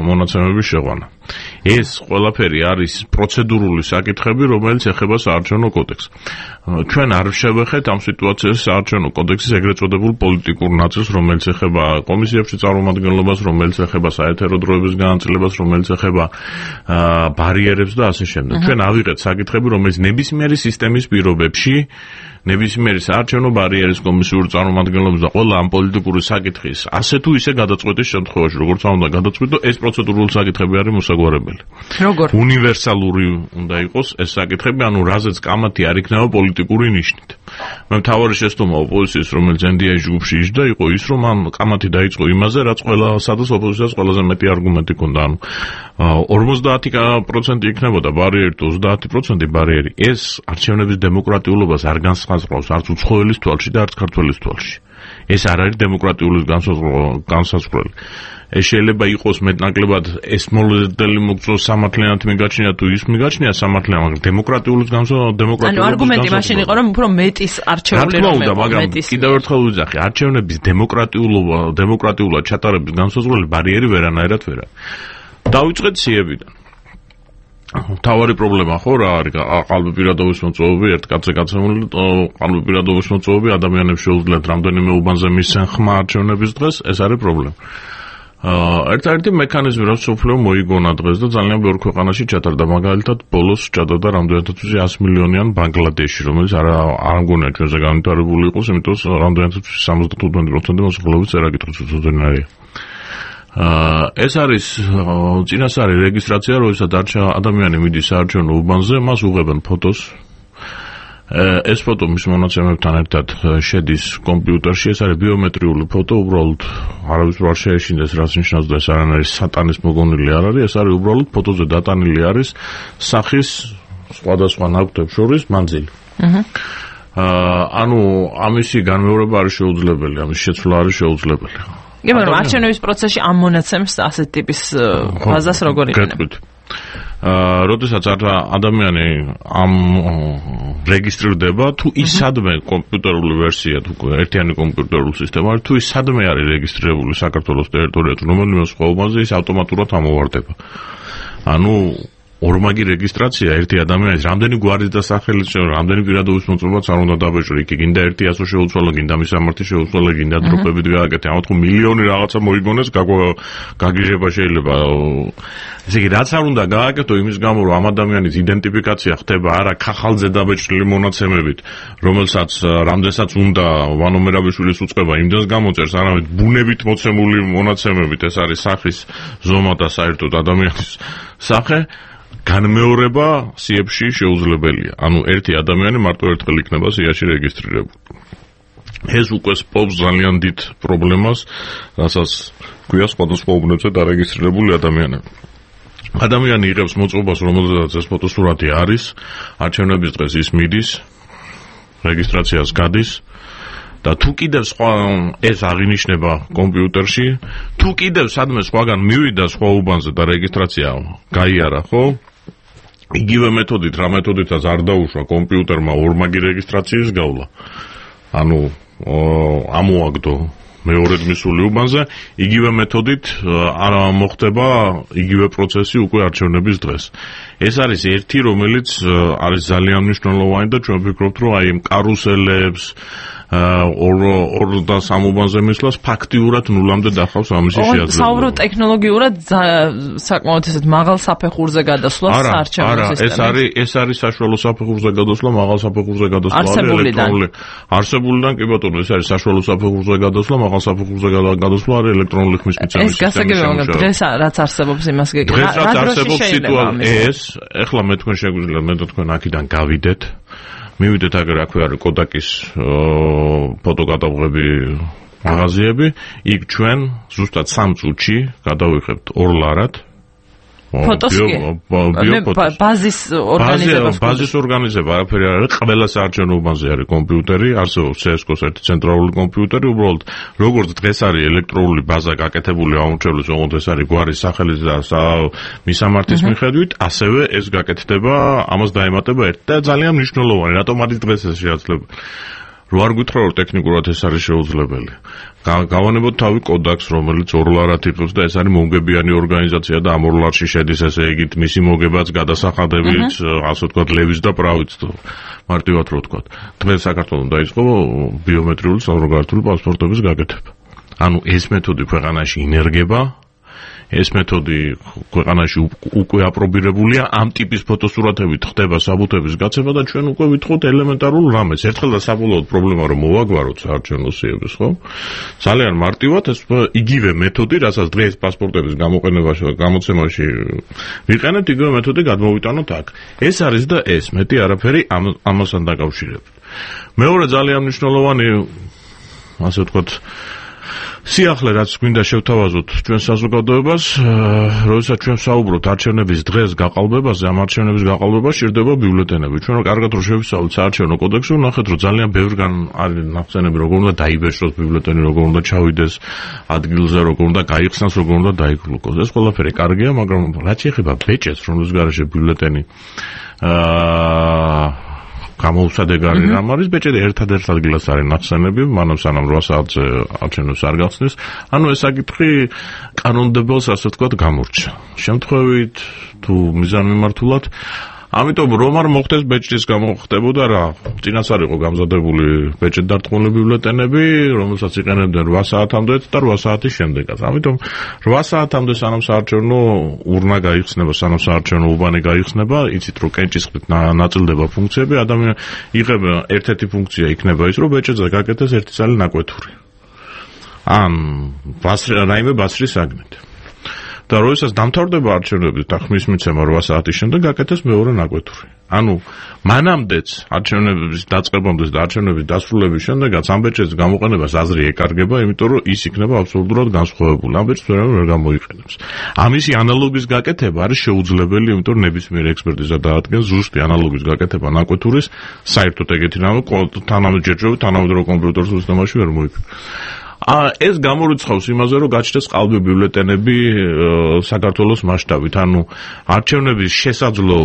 მონაცემების შეყვანა. ეს ყველაფერი არის პროცედურული საკითხები, რომელიც ეხება საარჩევნო კოდექსს. ჩვენ არ შევეხეთ ამ სიტუაციას საარჩევნო კოდექსის ეგრეთ წოდებულ პოლიტიკურ ნაწილს, რომელიც ეხება კომისიებში წარმომადგენლობას, რომელიც ეხება საეთერო დროების განაწილებას, რომელიც ეხება ბარიერებს და ასე შემდეგ. ჩვენ ავიღეთ საკითხები, რომელიც ნებისმიერი სისტემის პირობებში ნებისმიერი საარჩევნო ბარიერის კომისიური წარმომადგენლობის და ყველა ამ პოლიტიკური საკითხის ასე თუ ისე გადაწყვეტის შემთხვევაში, როგორც უნდა გადაწყვეტო, ეს პროცედურული საკითხები არის მოსაგვარებელი. როგორ? უნივერსალური უნდა იყოს ეს საკითხები, ანუ რაზეც კამათი არ იქნება პოლიტიკური ნიშნით. მე მთავარი შეცდომა ოპოზიციის, რომელიც ენ დი აი-ში ჯგუფში იჯდა, იყო ის, რომ ამ კამათი დაიწყო იმაზე, რაც ყველა სადაც ოპოზიციას ყველაზე მეტი არგუმენტი ჰქონდა, ანუ ორმოცდაათი პროცენტი იქნებოდა ბარიერი, ოცდაათი პროცენტი ბარიერი. ეს არჩევნების დემოკრატიულობას არ განსაზღვრავს არც უცხოელის თვალში და არც ქართველის თვალში. ეს არ არის დემოკრატიული განსაზღვრელი. ეს შეიძლება იყოს მეტნაკლებად ეს მოლოდელი მოგწოს სამართლიანად მიგაჩნია თუ ის მიგაჩნია სამართლიანად, მაგრამ დემოკრატიულის განსაზღვრელი. ანუ არგუმენტი მაშინ იყო, რომ უფრო მეტის არჩეული რომ იყო, მაგრამ კიდევ ერთხელ ვიძახი, არჩევნების დემოკრატიულობა, დემოკრატიულად ჩატარების განსაზღვრელი ბარიერი ვერანაირად ვერ არის. დავიწყეთ სიებიდან. თავარი პრობლემა ხო რა არის ყალბიპირადობის მოწვევები, ერთ კაცზე გაცემული ყალბიპირადობის მოწვევები ადამიანებს შეუძლიათ რამდენიმე უბანზე მისცენ ხმა არჩევნების დღეს, ეს არის პრობლემა. ერთ-ერთი მექანიზმი, რაც სოფლიო მოიგონა დღეს და ძალიან ბევრ ქვეყანაში ჩატარდა, მაგალითად ბოლოს ჩატარდა რამდენადაც ვიცი ას მილიონიან ბანგლადეში, რომელიც არ არ მგონია ჩვენზე განვითარებული იყოს, იმიტომ რომ რამდენადაც სამოცდათხუთმეტი პროცენტი მოსახლეობის წერაკითხის უცოდნარია. ეს არის წინასწარი რეგისტრაცია, როდესაც ადამიანი მიდის საარჩევნო უბანზე, მას უღებენ ფოტოს. ეს ფოტო მის მონაცემებთან ერთად შედის კომპიუტერში, ეს არის ბიომეტრიული ფოტო, უბრალოდ არავის არ შეეშინდეს, რაც ნიშნავს და ეს არანაირი სატანის მოგონილი არ არის, ეს არის უბრალოდ ფოტოზე დატანილი არის სახის სხვადასხვა ნაკვთებს შორის მანძილი. ანუ ამისი განმეორება არის შეუძლებელი, ამის შეცვლა არის შეუძლებელი. კი, მაგრამ არჩევნების პროცესში ამ მონაცემს ასეთ ტიპის ფაზას როგორ იყენებთ? აა, როდესაც ადამიანი ამ რეგისტრირდება, თუ ის სადმე კომპიუტერული ვერსია, თუ ერთიანი კომპიუტერული სისტემა არის, თუ ის სადმე არის რეგისტრირებული საქართველოს ტერიტორიაზე, რომელიმე სხვა უბანზე, ის ავტომატურად ამოვარდება. ანუ ორმაგი რეგისტრაცია ერთი ადამიანის რამდენი გვარის და სახელის შეუ, რამდენი პირადობის მოწმობაც არ უნდა დაბეჭდო, იქ გინდა ერთი ასო შეუცვალო, გინდა მისამართი შეუცვალო, გინდა დროპებით გააკეთე, ამათ ხო მილიონი რაღაცა მოიგონეს, გაგიჟება შეიძლება. ესე იგი, რაც არ უნდა გააკეთო იმის გამო, რომ ამ ადამიანის იდენტიფიკაცია ხდება არა ქახალზე დაბეჭდილი მონაცემებით, რომელსაც რამდენსაც უნდა ვანომერავიშვილის უწყება იმდენს გამოწერს, არამედ ბუნებით მოცემული მონაცემებით, ეს არის სახის ზომა და საერთოდ ადამიანის სახე. განმეორება სიებში შეუძლებელია. ანუ ერთი ადამიანი მარტო ერთხელ იქნება სიაში რეგისტრირებული. ეს უკვე სპობს ძალიან დიდ პრობლემას, რასაც გვია სხვადასხვა უბნებზე დარეგისტრირებული ადამიანები. ადამიანი იღებს მოწყობას, რომელზედაც ეს ფოტოსურათი არის, არჩევნების დღეს ის მიდის, რეგისტრაციას გადის. და თუ კიდევ სხვა ეს აღინიშნება კომპიუტერში, თუ კიდევ სადმე სხვაგან მივიდა სხვა უბანზე და რეგისტრაცია გაიარა, ხო? იგივე მეთოდით, რა მეთოდითაც არ დაუშვა კომპიუტერმა ორმაგი რეგისტრაციის გავლა. ანუ ამოაგდო მეორედ მისული უბანზე, იგივე მეთოდით არ მოხდება იგივე პროცესი უკვე არჩევნების დღეს. ეს არის ერთი, რომელიც არის ძალიან მნიშვნელოვანი და ჩვენ ვფიქრობთ, რომ აი ამ კარუსელებს ორ ორ და სამ უბანზე მისვლას ფაქტიურად ნულამდე დახავს ამისი შეაძლებლობა. საუბრობ ტექნოლოგიურად საკმაოდ ესეთ მაღალ საფეხურზე გადასვლა საარჩევნო სისტემაში. ეს არის ეს არის საშუალო საფეხურზე გადასვლა, მაღალ საფეხურზე გადასვლა ელექტრონული. არსებულიდან კი ბატონო, ეს არის საშუალო საფეხურზე გადასვლა, მაღალ საფეხურზე გადასვლა არის ელექტრონული ხმის მიცემის სისტემა. ეს გასაგებია, მაგრამ დღეს რაც არსებობს იმას გეკითხა. დღეს რაც არსებობს სიტუაცია ეს, ეხლა მე თქვენ შეგვიძლია მე და თქვენ აქედან გავიდეთ. მივიდეთ აგერ აქვე არის კოდაკის ფოტოკატალოგები მაღაზიები, იქ ჩვენ ზუსტად სამ წუთში გადავიხებთ ორ ლარად ფოტოს ბაზის ორგანიზება ბაზის ორგანიზება არაფერი არ არის, ყველა საარჩევნო უბანზე არის კომპიუტერი, არსებობს სესკოს ერთი ცენტრალური კომპიუტერი, უბრალოდ როგორც დღეს არის ელექტრონული ბაზა გაკეთებული აუმრჩევლის, ოღონდ ეს არის გვარის სახელის და მისამართის მიხედვით, ასევე ეს გაკეთდება, ამას დაემატება ერთ და ძალიან მნიშვნელოვანი, რატომ არის დღეს ეს შეაძლებელი. რო არ გითხრა რომ ტექნიკურად ეს არის შეუძლებელი. გავანებოთ თავი კოდაკს, რომელიც ორ ლარად იღებს და ეს არის მომგებიანი ორგანიზაცია და ამ ორ ლარში შედის ესე იგი მისი მოგებაც, გადასახადებიც, ასე ვთქვათ, ლევის და პრავიც, მარტივად რო ვთქვათ. დღეს საქართველოს დაიწყო ბიომეტრიული საზოგადოებრივი პასპორტების გაკეთება. ანუ ეს მეთოდი ქვეყანაში ინერგება ეს მეთოდი ქვეყანაში უკვე აპრობირებულია, ამ ტიპის ფოტოსურათებით ხდება საბუთების გაცემა და ჩვენ უკვე ვითხოვთ ელემენტარულ რამეს. ერთხელ და საბოლოოდ პრობლემა რომ მოვაგვაროთ საარჩევნო სიების, ხო? ძალიან მარტივად ეს იგივე მეთოდი, რასაც დღეს პასპორტების გამოყენებაში და გამოცემაში ვიყენებთ, იგივე მეთოდი გადმოვიტანოთ აქ. ეს არის და ეს, მეტი არაფერი ამასთან დაკავშირებით. მეორე ძალიან მნიშვნელოვანი, ასე ვთქვათ, სიახლე რაც გვინდა შევთავაზოთ ჩვენ საზოგადოებას, როდესაც ჩვენ საუბრობთ არჩევნების დღეს გაყალბებაზე, ამ არჩევნების გაყალბება სჭირდება ბიულეტენები. ჩვენ კარგად რომ შევისწავლოთ საარჩევნო კოდექსი, ვნახეთ რომ ძალიან ბევრგან არის ნახსენები, როგორ უნდა დაიბეჭდოს ბიულეტენი, როგორ უნდა ჩავიდეს ადგილზე, როგორ უნდა გაიხსნას, როგორ უნდა დაიკლუკოს. ეს ყველაფერი კარგია, მაგრამ რაც ეხება ბეჭედს, რომლის გარეშე ბიულეტენი აა გამოუსადეგარი რამ არის, ბეჭედი ერთადერთ ადგილას არის ნახსენები, მანამ სანამ რვა საათზე არჩევნებს არ გახსნის. ანუ ეს საკითხი კანონმდებელს, ასე ვთქვათ, გამორჩა. შემთხვევით თუ მიზანმიმართულად, ამიტომ რომ არ მოხდეს ბეჭდის გამო ხდებოდა რა, წინაც არ იყო გამზადებული ბეჭდდარტყმული ბიულეტენები, რომელსაც იყენებდნენ რვა საათამდე და რვა საათის შემდეგაც. ამიტომ რვა საათამდე სანამ საარჩევნო ურნა გაიხსნება, სანამ საარჩევნო უბანი გაიხსნება, იცით რომ კენჭისყრით ნაწილდება ფუნქციები, ადამიანი იღება ერთ-ერთი ფუნქცია იქნება ის, რომ ბეჭედზე გაკეთდეს ერთი წალი ნაკვეთური. ან რაიმე ბასრის საგნით. და როდესაც დამთავრდება არჩევნები და ხმის მიცემა რვა საათის შემდეგ გაკეთეს მეორე ნაკვეთური. ანუ მანამდეც არჩევნების დაწყებამდე და არჩევნების დასრულების შემდეგაც ამ ბეჭედის გამოყენებას აზრი ეკარგება, იმიტომ რომ ის იქნება აბსოლუტურად განსხვავებული. ამ ბეჭდს ვერავინ ვერ გამოიყენებს. ამისი ანალოგის გაკეთება არის შეუძლებელი, იმიტომ რომ ნებისმიერ ექსპერტიზა დაადგენს ზუსტი ანალოგის გაკეთება ნაკვეთურის, საერთოდ ეგეთი რამე თანამედროვე თანამედროვე კომპიუტერულ სისტემაში ვერ მოიქნება. ეს გამორიცხავს იმაზე, რომ გაჩნდეს ყალბი ბიულეტენები საქართველოს მასშტაბით, ანუ არჩევნების შესაძლო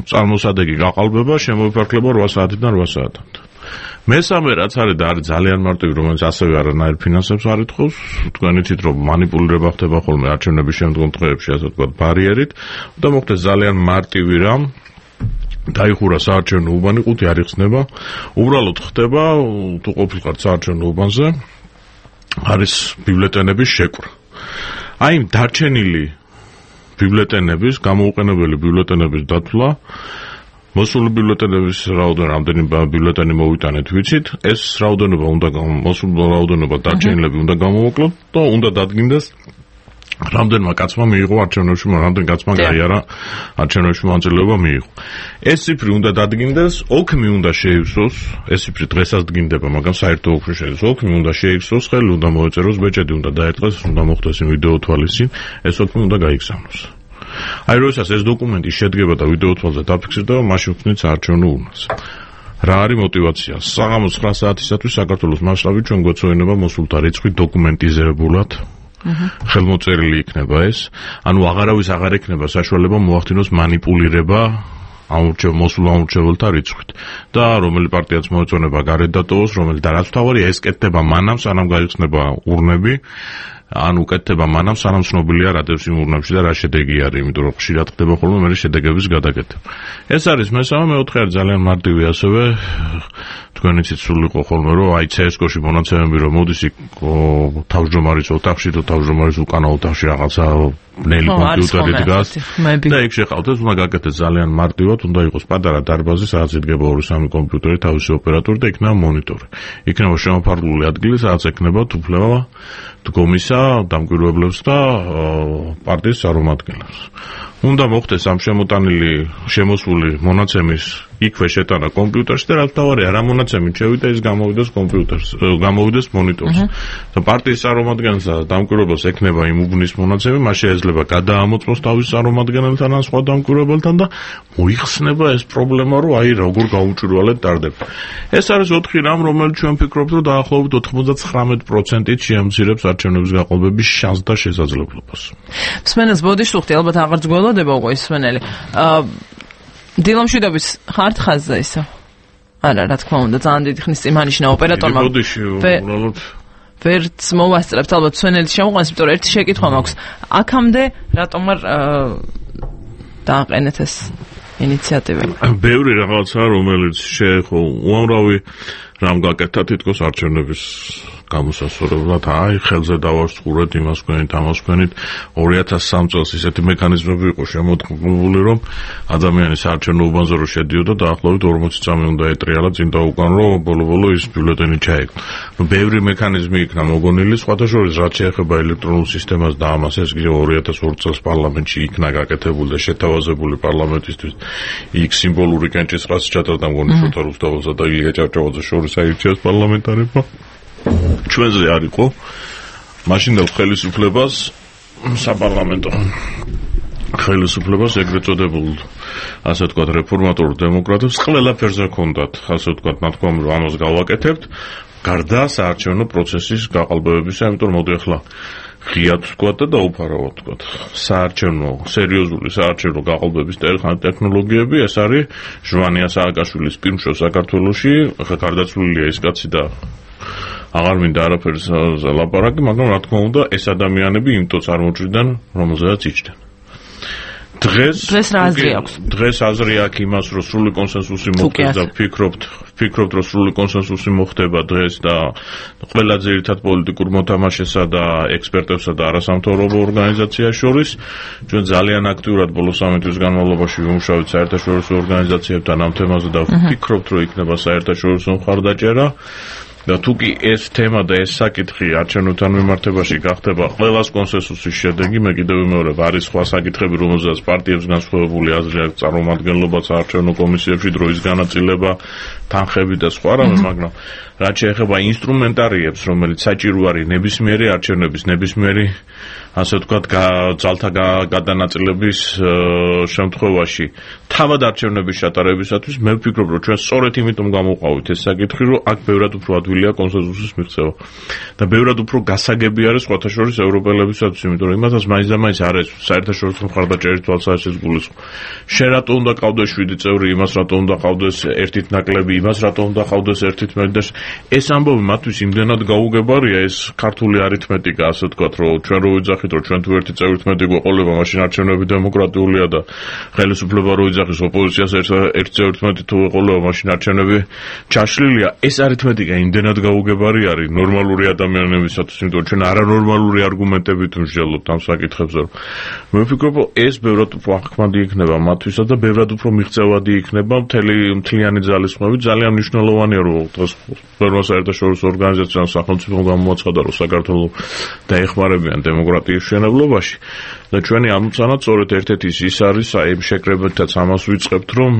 წარმოსადეგი გაყალბება შემოიფარგლება რვა საათიდან რვა საათამდე. მესამე რაც არის და არის ძალიან მარტივი, რომელიც ასევე არანაირ ფინანსებს არ ითხოვს, თქვენ იცით რომ манипуლირება ხდება ხოლმე არჩევნების შემდგომ დღეებში, ასე ვთქვათ, ბარიერით, და მოხდეს ძალიან მარტივი რამ, დაიხურა საარჩევნო უბანი, ყუთი არ იხსნება, უბრალოდ ხდება თუ ყოფილიყარ საარჩევნო უბანზე არის ბიულეტენების შეკვრა. აი იმ დარჩენილი ბიულეტენების, გამოუყენებელი ბიულეტენების დათვლა, მოსული ბიულეტენების რაოდენობა, რამდენი ბიულეტენი მოვიტანეთ, ვიცით, ეს რაოდენობა უნდა მოსული რაოდენობა დარჩენილები უნდა გამოვაკლოთ და უნდა დადგინდეს რამდენმა კაცმა მიიღო არჩევნებში, რამდენ კაცმა გაიარა არჩევნებში მონაწილეობა მიიღო. ეს ციფრი უნდა დადგინდეს, ოქმი უნდა შეივსოს, ეს ციფრი დღესაც დგინდება, მაგრამ საერთო ოქმი შედის, ოქმი უნდა შეივსოს, ხელი უნდა მოეწეროს, ბეჭედი უნდა დაერტყეს, უნდა მოხდეს ვიდეო თვალისწინ, ეს ოქმი უნდა გაიგზავნოს. აი როდესაც ეს დოკუმენტი შედგება და ვიდეო თვალზე დაფიქსირდება, მაშინ ვხსნით საარჩევნო ურნას. რა არის мотиваცია? საღამოს ცხრა საათისათვის საქართველოს მასშტაბით ჩვენ გვეცოდინება მოსულთა რიცხვი დოკუმენტიზებულად. ხელმოწერილი იქნება ეს, ანუ აღარავის აღარ ექნება საშუალება მოახდინოს манипуლირება ამურჩევ მოსულ ამურჩეველთა რიცხვით და რომელი პარტიაც მოეწონება გარეთ დატოვოს, რომელი და რაც თავარია ეს კეთდება მანამ სანამ გაიხსნება ურნები, ან უკეთდება მანამ სანამ ცნობილია რა დევს იმ ურნებში და რა შედეგი არის, იმიტომ რომ ხშირად ხდება ხოლმე მე შედეგების გადაკეთება. ეს არის მესამე, მეოთხე არის ძალიან მარტივი ასევე, თქვენ იცით სულ იყო ხოლმე რომ აი ცსკოში მონაცემები რომ მოდის იქ თავმჯდომარის ოთახში თუ თავმჯდომარის უკანა ოთახში რაღაცა ბნელი კომპიუტერი დგას და იქ შეყავთ, ეს უნდა გაკეთდეს ძალიან მარტივად, უნდა იყოს პატარა დარბაზი, სადაც იდგება ორი სამი კომპიუტერი, თავისი ოპერატორი და იქნება მონიტორი. იქნება შემოფარგლული ადგილი, სადაც ექნება უფლება დგომისა დამკვირვებლებს და პარტიის წარმომადგენლებს. უნდა მოხდეს ამ შემოტანილი შემოსული მონაცემის იქვე შეტანა კომპიუტერში და რაც თავარია რა მონაცემით შევიდა ის გამოვიდეს კომპიუტერს, გამოვიდეს მონიტორს. და პარტიის წარმომადგენელს და დამკვირვებელს ექნება იმ უბნის მონაცემი, მას შეიძლება გადაამოწმოს თავის წარმომადგენელთან ან სხვა დამკვირვებელთან და მოიხსნება ეს პრობლემა, რომ აი როგორ გაუჭირვალეთ ტარდება. ეს არის ოთხი რამ, რომელიც ჩვენ ფიქრობთ, რომ დაახლოებით ოცდათხმეტ პროცენტით შეამცირებს არჩევნების გაყოლბების შანსს და შესაძლებლობას. მსმენელს ბოდიშუხტი ალბათ აღარ გველოდება უკვე ის მსმენელი. დილამშვიდობის ხართ ხაზზე ისო? არა, რა თქმა უნდა, ძალიან დიდი ხნის წინ მანიშნა ოპერატორმა. ბოდიში უბრალოდ ვერც მოვასწრებთ ალბათ მსმენელის შემოყვანას, იმიტომ რომ ერთი შეკითხვა მაქვს. აქამდე რატომ არ დააყენეთ ეს ინიციატივა? ბევრი რაღაცა, რომელიც შეეხო უამრავი რამ გაკეთა თითქოს არჩევნების გამოსასწორებლად, აი ხელზე დავარსხურეთ იმას თქვენით, ამას თქვენით. ორი ათას სამი წელს ისეთი მექანიზმები იყო შემოწყობილი, რომ ადამიანის საარჩევნო უბანზე რო შედიოდა, დაახლოებით ორმოცი წამი უნდა ეტრიალა წინ და უკან, რომ ბოლო-ბოლო ის ბიულეტენი ჩაეკო. ნუ ბევრი მექანიზმი იქნა მოგონილი, სხვათა შორის რაც შეეხება ელექტრონულ სისტემას და ამას, ეს კიდევ ორი ათას ორი წელს პარლამენტში იქნა გაკეთებული და შეთავაზებული პარლამენტისთვის იქ სიმბოლური კენჭისყრაც ჩატარდა მგონი შოთა რუსთაველსა და ილია ჭავჭავაძეს შორის აირჩიეს პარლამენტარებმა. ჩვენზე არ იყო მაშინდელ ხელისუფლებას საპარლამენტო ხელისუფლებას ეგრეთ წოდებულ ასე ვთქვათ რეფორმატორ დემოკრატებს ყველაფერზე ჰქონდათ ასე ვთქვათ ნათქვამი რომ ამას გავაკეთებთ გარდა საარჩევნო პროცესის გაყალბებებისა, ამიტომ მოდი ახლა ღიად ვთქვათ და დაუფარავად ვთქვათ. საარჩევნო, სერიოზული საარჩევნო გაყალბების ტექნოლოგიები, ეს არის ჟვანია სააკაშვილის პირმშო საქართველოში, ახლა გარდაცვლილია ის კაცი და აღარ მინდა არაფერს ლაპარაკი, მაგრამ რა თქმა უნდა, ეს ადამიანები იმ ტოს წარმოჭრიდან, რომელზეც იჯდნენ. დღეს დღეს რა აზრი აქვს? დღეს აზრი აქვს იმას, რომ სრული კონსენსუსი მოხდეს და ვფიქრობთ, ვფიქრობთ, რომ სრული კონსენსუსი მოხდება დღეს და ყველა ძირითად პოლიტიკურ მოთამაშესა და ექსპერტებსა და არასამთავრობო ორგანიზაციას შორის ჩვენ ძალიან აქტიურად ბოლო სამი თვის განმავლობაში ვიმუშავეთ საერთაშორისო ორგანიზაციებთან ამ თემაზე და ვფიქრობთ, რომ იქნება საერთაშორისო მხარდაჭერა. და თუ კი ეს თემა და ეს საკითხი არჩევნებთან მიმართებაში გახდება ყველას კონსენსუსის შედეგი, მე კიდევ ვიმეორებ, არის სხვა საკითხები, რომელზეც პარტიებს განსხვავებული აზრი აქვს, წარმომადგენლობა საარჩევნო კომისიებში, დროის განაწილება, თანხები და სხვა რამე, მაგრამ რაც შეეხება ინსტრუმენტარიებს, რომელიც საჭირო არის ნებისმიერი არჩევნების, ნებისმიერი ასე ვთქვათ, ძალთა გადანაწილების შემთხვევაში, თავად არჩევნების ჩატარებისათვის, მე ვფიქრობ, რომ ჩვენ სწორედ იმიტომ გამოვყავით ეს საკითხი, რომ აქ ბევრად უფრო ადვილია კონსენსუსის მიღწევა. და ბევრად უფრო გასაგები არის სხვათა შორის ევროპელებისათვის, იმიტომ რომ იმათაც მაინც და მაინც არის საერთაშორისო მხარდაჭერის თვალსაზრისით გულისხმობ. შენ რატო უნდა ყავდეს შვიდი წევრი, იმას რატო უნდა ყავდეს ერთით ნაკლები, იმას რატო უნდა ყავდეს ერთით მეტი და ეს ამბავი მათთვის იმდენად გაუგებარია, ეს ქართული არითმეტიკა, ასე ვთქვათ, რომ ჩვენ რო ვიძახით, რომ ჩვენ თუ ერთი წევრით მეტი გვეყოლება, მაშინ არჩევნები დემოკრატიულია და ხელისუფლება რო იძახის ოპოზიციას ერთ წევრით მეტი თუ ეყოლება, მაშინ არჩევნები ჩაშლილია. ეს არითმეტიკა იმდენად გაუგებარი არის ნორმალური ადამიანებისათვის, იმიტომ რომ ჩვენ არანორმალური არგუმენტებით ვმსჯელობთ ამ საკითხებზე. მე ვფიქრობ, ეს ბევრად უფრო ახმადი იქნება მათთვისაც და ბევრად უფრო მიღწევადი იქნება მთელი მთლიანი ძალისხმევით. ძალიან მნიშვნელოვანია, რომ დღეს ბევრმა საერთაშორისო ორგანიზაციამ სახელმწიფომ გამოაცხადა, რომ საქართველოს დაეხმარებიან დემოკრატიის მშენებლობაში და ჩვენი ამოცანა სწორედ ერთ-ერთი ის არის, აი იმ შეკრებითაც ამას ვიწყებთ, რომ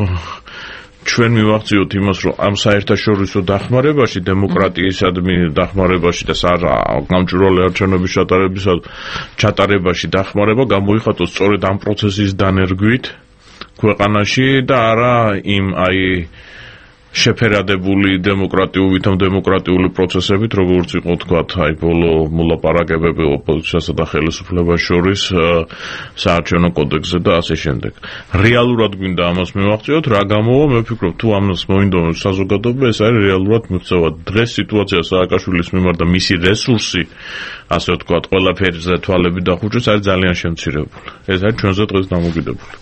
ჩვენ მივახციოთ იმას, რომ ამ საერთაშორისო დახმარებაში, დემოკრატიისადმი დახმარებაში და გამჭვირვალე არჩევნების ჩატარებაში დახმარება გამოიხატოს სწორედ ამ პროცესის დანერგვით ქვეყანაში და არა იმ აი შეფერადებული დემოკრატიული და დემოკრატიული პროცესებით, როგორც იყო თქვათ, აი ბოლო მოლაპარაკებები ოპოზიციასა და ხელისუფლებას შორის საარჩევნო კოდექსზე და ასე შემდეგ. რეალურად გვინდა ამას მივახციოთ, რა გამოვა, მე ვფიქრობ, თუ ამას მოინდომებს საზოგადოება, ეს არის რეალურად მიღწევა. დღეს სიტუაცია სააკაშვილის მიმართ და მისი რესურსი, ასე ვთქვათ, ყველაფერზე თვალები დახუჭეს, არის ძალიან შემცირებული. ეს არის ჩვენზე დღეს დამოკიდებული.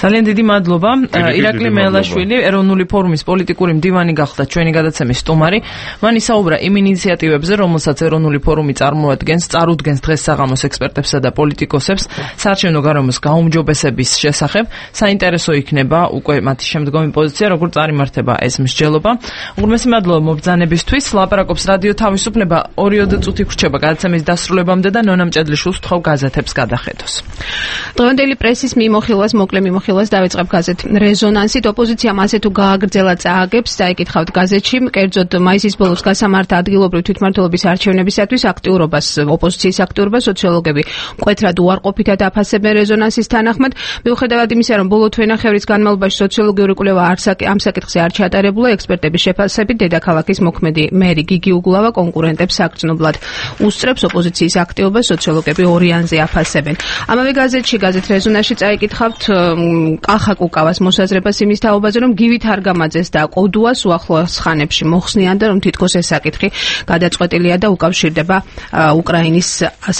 ძალიან დიდი მადლობა. ირაკლი მელაშვილი, ეროვნული ფორუმის პოლიტიკური მდივანი გახდა ჩვენი გადაცემის სტუმარი. მან ისაუბრა იმ ინიციატივებზე, რომელსაც ეროვნული ფორუმი წარმოადგენს, წარუდგენს დღეს საღამოს ექსპერტებსა და პოლიტიკოსებს საარჩევნო გარემოს გაუმჯობესების შესახებ. საინტერესო იქნება უკვე მათი შემდგომი პოზიცია, როგორ წარიმართება ეს მსჯელობა. უღრმესი მადლობა მობრძანებისთვის. ლაპარაკობს რადიო თავისუფლება. ორიოდე წუთი გრჩება გადაცემის დასრულებამდე და ნონა მჭედლიშვილს ვთხოვ გაზეთებს გადახედოს. დღევანდელი პრესის მიმოხილვას მოკლე მიმოხილვას დავიწყებ გაზეთ რეზონანსით. ოპოზიციამ ასე თუ გააგრძელა წააგებს, დაიკითხავთ გაზეთში, კერძოდ მაისის ბოლოს გასამართ ადგილობრივ თვითმმართველობის არჩევნებისათვის აქტიურობას, ოპოზიციის აქტიურობას სოციოლოგები მკვეთრად უარყოფითად აფასებენ რეზონანსის თანახმად. მიუხედავად იმისა, რომ ბოლო თვენახევრის განმავლობაში სოციოლოგიური კვლევა ამ საკითხზე არ ჩატარებულა, ექსპერტების შეფასებით დედაქალაქის მოქმედი მერი გიგი უგულავა კონკურენტებს საგრძნობლად უსწრებს ოპოზიციის აქტიობას, სოციოლოგები ორიანზე აფასებენ. ამავე გაზეთში, გაზეთ რეზონანსში წაიკითხავთ კახა კუკავას მოსაზრებას იმის თაობაზე, რომ გივი თარგამაძეს და კოდუას უახლოეს ხანებში მოხსნიან და რომ თითქოს ეს საკითხი გადაწყვეტილია და უკავშირდება უკრაინის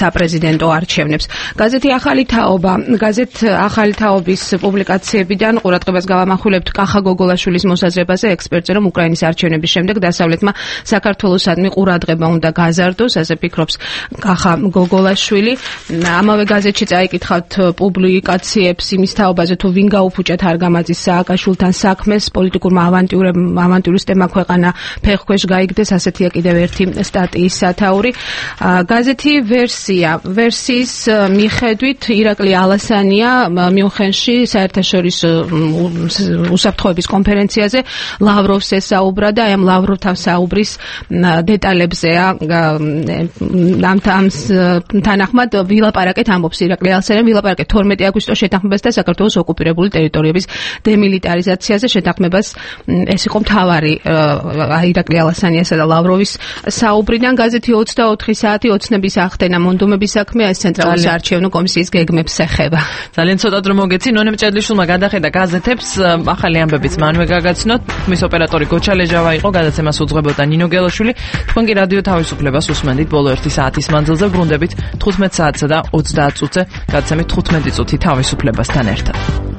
საპრეზიდენტო არჩევნებს. გაზეთი ახალი თაობა, გაზეთ ახალი თაობის პუბლიკაციებიდან ყურადღებას გავამახვილებთ კახა გოგოლაშვილის მოსაზრებაზე, ექსპერტზე, რომ უკრაინის არჩევნების შემდეგ დასავლეთმა საქართველოსადმი ყურადღება უნდა გაზარდოს, ასე ფიქრობს კახა გოგოლაშვილი. ამავე გაზეთში წაიკითხავთ პუბლიკაციებს იმის თაობაზე, თუ ვინ გაუფუჭა თარგამაძის სააკაშვილთან საქმეს, პოლიტიკურმა ავანტიურისტებმა ქვეყანა ფეხქვეშ გაიგდეს, ასეთია კიდევ ერთი სტატიის სათაური. გაზეთი ვერსია, ვერსიის მიხედვით ირაკლი ალასანია მიუნხენში საერთაშორისო უსაფრთხოების კონფერენციაზე ლავროვს ესაუბრა და აი ამ ლავროვთან საუბრის დეტალებზეა ამ თანახმად ვილაპარაკეთ ამბობს ირაკლი ალასანია, ვილაპარაკეთ თორმეტი აგვისტოს შეთანხმებას და საქართველოს ოკუპირებული ტერიტორიების დემილიტარიზაციაზე. შეთანხმებას ეს იყო მთავარი ირაკლი ალასანიასა და ლავროვის საუბრიდან. გაზეთი ოცდაოთხი საათი ოცნების ახდენა მონდომების საქმე ეს ცენტრალური საარჩევნო კომისიის გეგმებს ეხება. ძალიან ცოტა დრო მოგეცი. ნონე მჭედლიშვილმა გადახედა გაზეთებს, ახალი ამბებიც მანვე გაგაცნოთ. მის ოპერატორი გოჩა ლეჟავა იყო, გადაცემას უძღვებოდა ნინო გელოშვილი. თქვენ კი რადიო თავისუფლებას უსმენთ ბოლო ერთი საათის მანძილზე, ბრუნდებით თხუთმეტ საათსა და ოცდაათ წუთზე. გადაცემით თხუთმეტი წუთი თავისუფლებასთან ერთად.